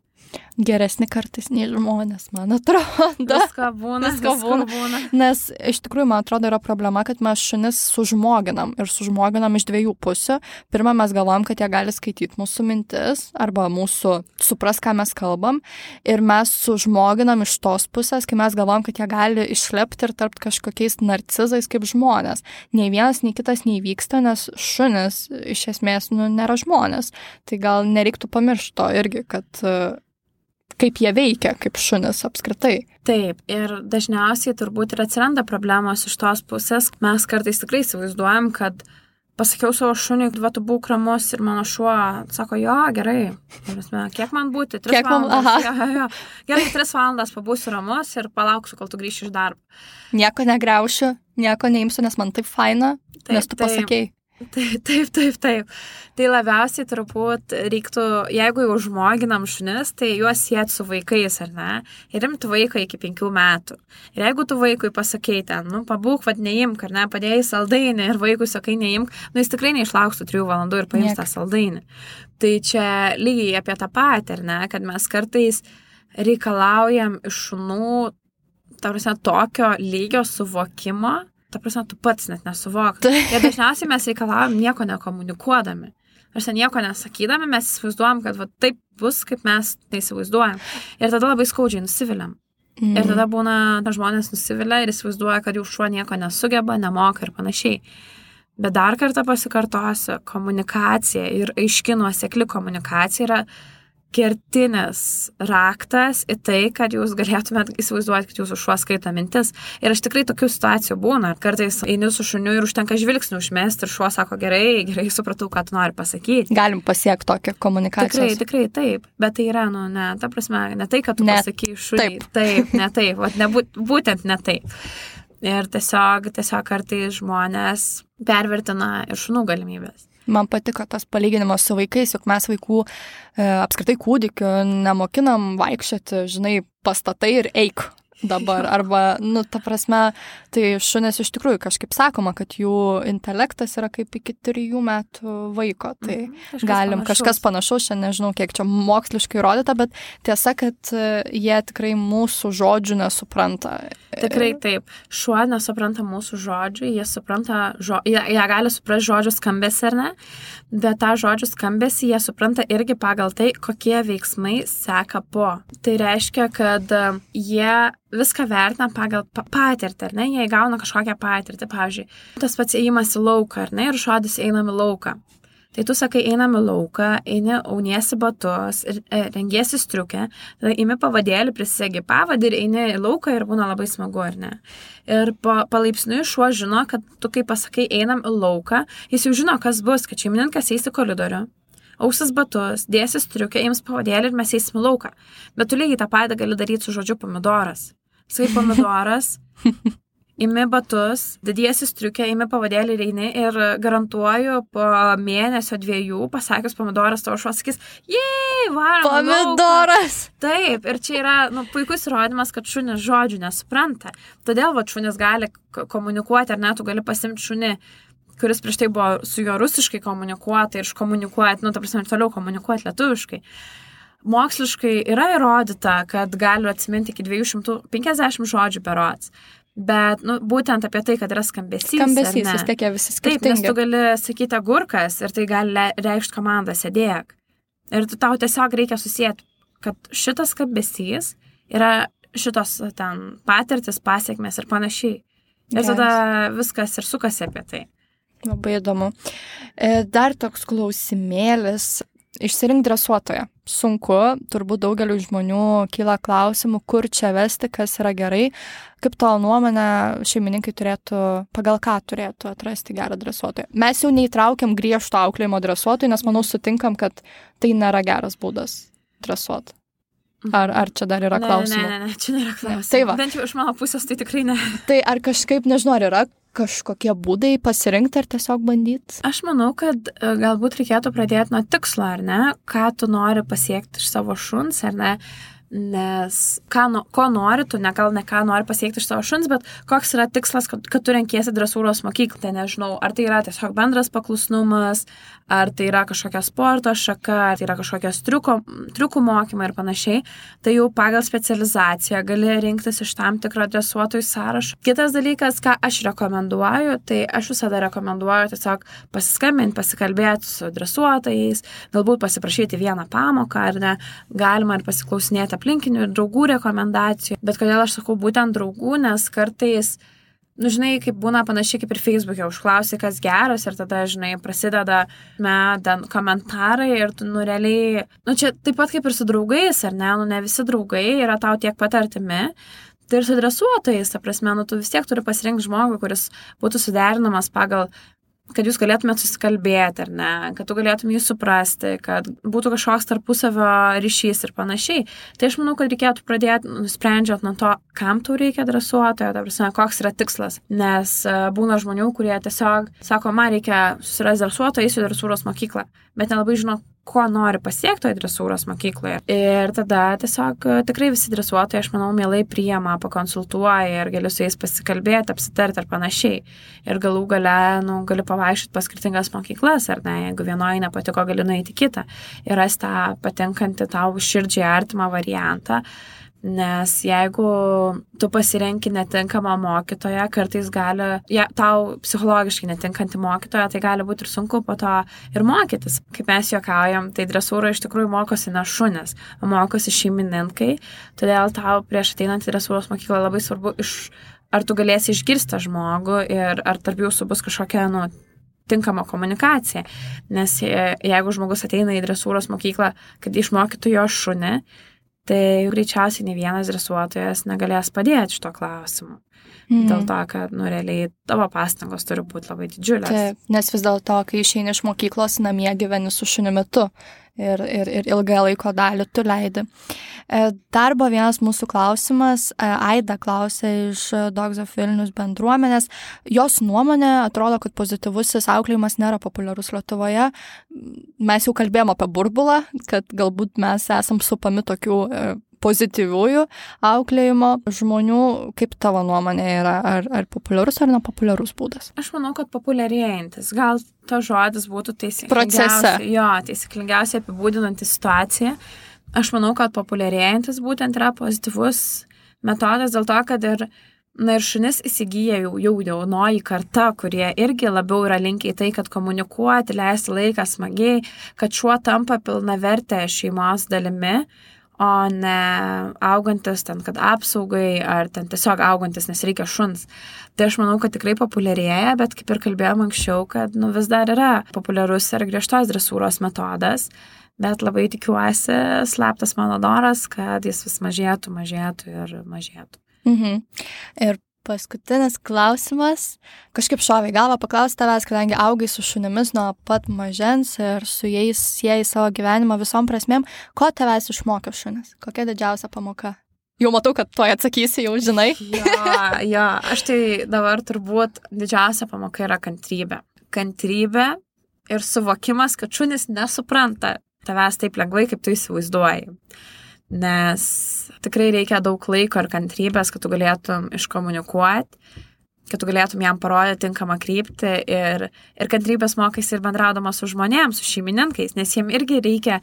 Speaker 2: Geresni kartais nei žmonės, man atrodo.
Speaker 1: Visko būna, visko būna. būna.
Speaker 2: Nes iš tikrųjų, man atrodo, yra problema, kad mes šunis sužmoginam ir sužmoginam iš dviejų pusių. Pirma, mes galvojam, kad jie gali skaityti mūsų mintis arba mūsų supras, ką mes kalbam. Ir mes sužmoginam iš tos pusės, kai mes galvojam, kad jie gali išlepti ir tarp kažkokiais narcizais kaip žmonės. Nei vienas, nei kitas neįvyksta, nes šunis iš esmės nu, nėra žmonės. Tai gal nereiktų pamiršti to irgi, kad kaip jie veikia, kaip šunis apskritai.
Speaker 1: Taip, ir dažniausiai turbūt ir atsiranda problemos iš tos pusės. Mes kartais tikrai įsivaizduojam, kad pasakiau savo šuniui, va, tu būk ramus ir mano šuo sako, jo, gerai, kiek man būti, tris
Speaker 2: kiek
Speaker 1: valandas,
Speaker 2: man,
Speaker 1: jo, jo, jo. Gerai, tris valandas pabūsiu ramus ir palauksiu, kol tu grįši iš darbo.
Speaker 2: Nieko negriaušiu, nieko neimsiu, nes man taip faina, taip, nes tu taip. pasakei.
Speaker 1: Taip, taip, taip, taip. Tai labiausiai turbūt reiktų, jeigu jau žmoginam šunis, tai juos sieti su vaikais, ar ne? Ir imti vaiką iki penkių metų. Ir jeigu tu vaikui pasakei ten, nu, pabūk, vad neimk, ar ne, padėjai saldainį ir vaikui sakai neimk, nu, jis tikrai neišlauks tų trijų valandų ir paims tą saldainį. Tai čia lygiai apie tą patį, ar ne, kad mes kartais reikalaujam iš šunų, ta prasme, tokio lygio suvokimo, ta prasme, tu pats net nesuvok. Ir dažniausiai mes reikalavom nieko nekomunikuodami. Ar sen nieko nesakydami, mes įsivaizduojam, kad va, taip bus, kaip mes neįsivaizduojam. Ir tada labai skaudžiai nusiviliam. Mm. Ir tada būna, na, žmonės nusivilia ir įsivaizduoja, kad jų šuo nieko nesugeba, nemoka ir panašiai. Bet dar kartą pasikartosiu, komunikacija ir aiški nuosekli komunikacija yra kertinis raktas į tai, kad jūs galėtumėt įsivaizduoti, kad jūsų šuo skaito mintis. Ir aš tikrai tokių situacijų būna. Kartais eini su šuniu ir užtenka žvilgsnių užmesti ir šuo sako, gerai, gerai, supratau, ką tu nori pasakyti.
Speaker 2: Galim pasiekti tokią komunikaciją.
Speaker 1: Tikrai, tikrai, taip. Bet tai yra, nu, ne, ta prasme, ne tai, kad tu ne, pasakai šuniui. Taip. taip, ne taip. Vat, ne, būtent ne taip. Ir tiesiog, tiesiog kartais žmonės pervertina ir šunų galimybės.
Speaker 2: Man patiko tas palyginimas su vaikais, juk mes vaikų e, apskritai kūdikių nemokinam vaikščioti, žinai, pastatai ir eik dabar. Arba, nu, ta prasme, tai šunis iš tikrųjų kažkaip sakoma, kad jų intelektas yra kaip iki trijų metų vaiko. Tai mm, kažkas galim panašaus. kažkas panašaus, čia nežinau, kiek čia moksliškai įrodyta, bet tiesa, kad jie tikrai mūsų žodžių nesupranta.
Speaker 1: Tikrai taip. Šuo nesupranta mūsų žodžių, jie supranta, žo... jie, jie gali suprasti žodžių skambesį, ar ne? Bet tą žodžių skambesį jie supranta irgi pagal tai, kokie veiksmai seka po. Tai reiškia, kad jie viską vertina pagal patirtį, ar ne? Jie įgauna kažkokią patirtį, pavyzdžiui, tas pats ėjimas į lauką, ar ne? Ir žodis einam į lauką. Tai tu sakai, einam į lauką, eini, auniesi batus, rengiesi striukę, tada imi pavadėlį, prisisegi pavadį ir eini į lauką ir būna labai smagu, ar ne? Ir pa, palaipsniui šuo žino, kad tu, kai pasakai, einam į lauką, jis jau žino, kas bus, kad šeimininkas eis į koridorių, ausis batus, dėsis striukę, ims pavadėlį ir mes eisim į lauką. Bet tu lygiai tą patį gali daryti su žodžiu pomidoras. Sakai pomidoras, imi batus, dediesi striukę, imi pavadėlį ir eini ir garantuoju po mėnesio dviejų pasakius pomidoras tavo šuo sakys, jei, varom.
Speaker 2: Pomidoras.
Speaker 1: Taip, ir čia yra nu, puikus įrodymas, kad šunis žodžių nesupranta. Todėl va, šunis gali komunikuoti, ar ne, tu gali pasimti šunį, kuris prieš tai buvo su juo rusiškai komunikuoti ir iškomunikuoti, nu, ta prasme, ir toliau komunikuoti lietuviškai. Moksliškai yra įrodyta, kad galiu atsiminti iki dviejų šimtų penkiasdešimt žodžių berods. Bet, nu, būtent apie tai, kad yra skambesys.
Speaker 2: Skambesys, vis tiek jie visi skirtingi.
Speaker 1: Taip, nes tu gali sakyti agurkas ir tai gali reikšti komandą sėdėk. Ir tu tau tiesiog reikia susijęti, kad šitas skambesys yra šitos ten patirtis, pasiekmes ir panašiai. Ir yes. tada viskas ir sukasi apie tai.
Speaker 2: Labai įdomu. Dar toks klausimėlis. Išsirink dresuotoją. Sunku, turbūt daugeliu žmonių kyla klausimų, kur čia vesti, kas yra gerai. Kaip tavo nuomonė, šeimininkai turėtų, pagal ką turėtų atrasti gerą dresuotoją? Mes jau neįtraukiam griežto auklėjimo dresuotojų, nes manau sutinkam, kad tai nėra geras būdas dresuoti. Ar, ar čia dar yra
Speaker 1: ne,
Speaker 2: klausimų?
Speaker 1: Ne, ne, ne, čia nėra klausimų.
Speaker 2: Tai va.
Speaker 1: Bent jau iš mano pusės tai tikrai ne.
Speaker 2: Tai ar kažkaip, nežinau, ar yra kažkokie būdai pasirinkti ar tiesiog bandyti?
Speaker 1: Aš manau, kad galbūt reikėtų pradėti nuo tikslo, ar ne? Ką tu nori pasiekti iš savo šuns, ar ne? Nes ką, ko nori tu, ne gal ne ką nori pasiekti iš savo šuns, bet koks yra tikslas, kad, kad tu renkiesi dresūros mokyklą. Tai nežinau, ar tai yra tiesiog bendras paklusnumas, ar tai yra kažkokia sporto šaka, ar tai yra kažkokios triuko, triukų mokymai ir panašiai. Tai jau pagal specializaciją gali rinktis iš tam tikro dresuotojų sąrašo. Kitas dalykas, ką aš rekomenduoju, tai aš visada rekomenduoju tiesiog pasiskambinti, pasikalbėti su dresuotojais, galbūt pasiprašyti vieną pamoką, ar ne, galima ir pasiklausinėti aplinkinių ir draugų rekomendacijų. Bet kodėl aš sakau būtent draugų, nes kartais, nu, žinai, kaip būna panašiai kaip ir Facebook'e, užklausi, kas geras ir tada, žinai, prasideda me, ten komentarai ir tu, nu, realiai, nu, čia taip pat kaip ir su draugais, ar ne, nu, ne visi draugai yra tau tiek pat artimi. Tai ir su dresuotojais, ta prasme, nu, tu vis tiek turi pasirinkti žmogų, kuris būtų suderinamas pagal kad jūs galėtumėt susikalbėti, ar ne, kad tu galėtum jį suprasti, kad būtų kažkoks tarpusavio ryšys ir panašiai. Tai aš manau, kad reikėtų pradėti, nusprendžiant nuo to, kam tau reikia dresuotojo, ta prasme, koks yra tikslas. Nes būna žmonių, kurie tiesiog sako, man reikia susirasti dresuotoją, eisiu į dresūros mokyklą, bet nelabai žino, ko nori pasiekti toje dresūros mokykloje. Ir tada tiesiog tikrai visi dresuotojai, aš manau, mielai priima, pakonsultuoja ir gali su jais pasikalbėti, apsitarti ar panašiai. Ir galų gale, nu, gali pavaišyti pas skirtingas mokyklas, ar ne, jeigu vienoje nepatiko, gali nueiti kitą ir rasti tą patinkantį tau širdžiai artimą variantą. Nes jeigu tu pasirenki netinkamą mokytoją, kartais gali, ja, tau psichologiškai netinkantį mokytoją, tai gali būti ir sunku po to ir mokytis. Kaip mes juokaujam, tai dresūra iš tikrųjų mokosi ne šunis, mokosi šeimininkai, todėl tau prieš ateinant į dresūros mokyklą labai svarbu, iš, ar tu galėsi išgirsti žmogų ir ar tarp jūsų bus kažkokia, nu, tinkama komunikacija. Nes jeigu žmogus ateina į dresūros mokyklą, kad išmokytų jo šunį, tai greičiausiai ne vienas dresuotojas negalės padėti šito klausimu. Mm. Dėl to, kad, nu, realiai tavo pastangos turi būti labai didžiulės.
Speaker 2: Taip, nes vis dėlto, kai išeini iš mokyklos, namie gyveni su šunimi tu ir, ir, ir ilgą laiko dalį tu leidi. Dar buvo vienas mūsų klausimas. Aida klausė iš Dogs of Vilnius bendruomenės. Jos nuomonė atrodo, kad pozityvusis auklėjimas nėra populiarus Lietuvoje. Mes jau kalbėjom apie burbulą, kad galbūt mes esam supami tokių pozityviųjų auklėjimo žmonių. Kaip tavo nuomonė yra? Ar, ar populiarus ar nepopuliarus būdas?
Speaker 1: Aš manau, kad populiarėjantis. Gal to žodis būtų taisyklingiausiai, jo, taisyklingiausiai apibūdinanti situaciją. Aš manau, kad populiarėjantis būtent yra pozityvus metodas dėl to, kad ir, na, ir šunis įsigyja jau, jau jaunoji karta, kurie irgi labiau yra linkę į tai, kad komunikuoti, leisti laiką smagiai, kad šuo tampa pilnavertė šeimos dalimi, o ne augantis ten, kad apsaugai, ar ten tiesiog augantis, nes reikia šuns. Tai aš manau, kad tikrai populiarėja, bet kaip ir kalbėjom anksčiau, kad, nu, vis dar yra populiarus ir griežtos dresūros metodas, bet labai tikiuosi, slaptas mano noras, kad jis vis mažėtų, mažėtų ir mažėtų.
Speaker 2: Mhm. Ir Paskutinis klausimas. Kažkaip šovė galvą paklausti tavęs, kadangi augai su šunimis nuo pat mažens ir su jais siejai savo gyvenimą visom prasmėm. Ko tavęs išmokė šunis? Kokia didžiausia pamoka? Jau matau, kad tuoj atsakysi, jau žinai.
Speaker 1: Jo, jo, aš tai dabar turbūt didžiausia pamoka yra kantrybė. Kantrybė ir suvokimas, kad šunis nesupranta tavęs taip lengvai, kaip tu įsivaizduoji. Nes tikrai reikia daug laiko ir kantrybės, kad tu galėtum iškomunikuoti, kad tu galėtum jam parodyti tinkamą kryptį ir, ir kantrybės mokais ir bendraudamas su žmonėms, su šeimininkais, nes jiem irgi reikia,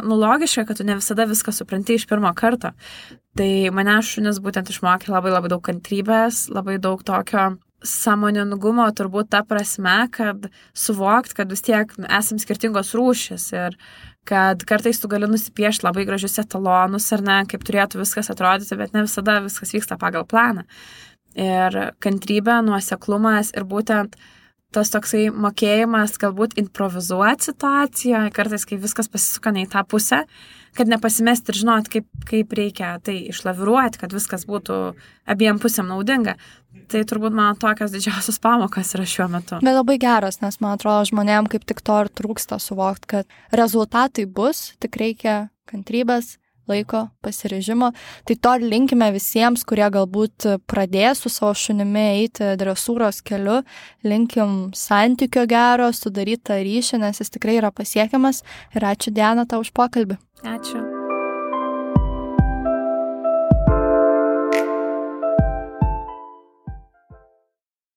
Speaker 1: nu logiška, kad tu ne visada viską supranti iš pirmo karto. Tai mane šunis būtent išmokė labai labai daug kantrybės, labai daug tokio sąmoningumo, turbūt ta prasme, kad suvokt, kad vis tiek esam skirtingos rūšis ir kad kartais tu gali nusipiešti labai gražius etalonus, ar ne, kaip turėtų viskas atrodyti, bet ne visada viskas vyksta pagal planą. Ir kantrybė, nuoseklumas ir būtent tas toksai mokėjimas galbūt improvizuoti situaciją, kartais, kai viskas pasisuka ne į tą pusę, kad nepasimesti ir žinoti, kaip, kaip reikia tai išlaviruoti, kad viskas būtų abiem pusėm naudinga. Tai turbūt man tokios didžiausios pamokas yra šiuo metu.
Speaker 2: Bet labai geras, nes man atrodo, žmonėm kaip tik to ir trūksta suvokti, kad rezultatai bus, tik reikia kantrybės, laiko, pasiryžimo. Tai to ir linkime visiems, kurie galbūt pradės su savo šunimi eiti dresūros keliu. Linkim santykio gero, sudarytą ryšį, nes jis tikrai yra pasiekiamas. Ir ačiū, Diana, tau už pokalbį.
Speaker 1: Ačiū.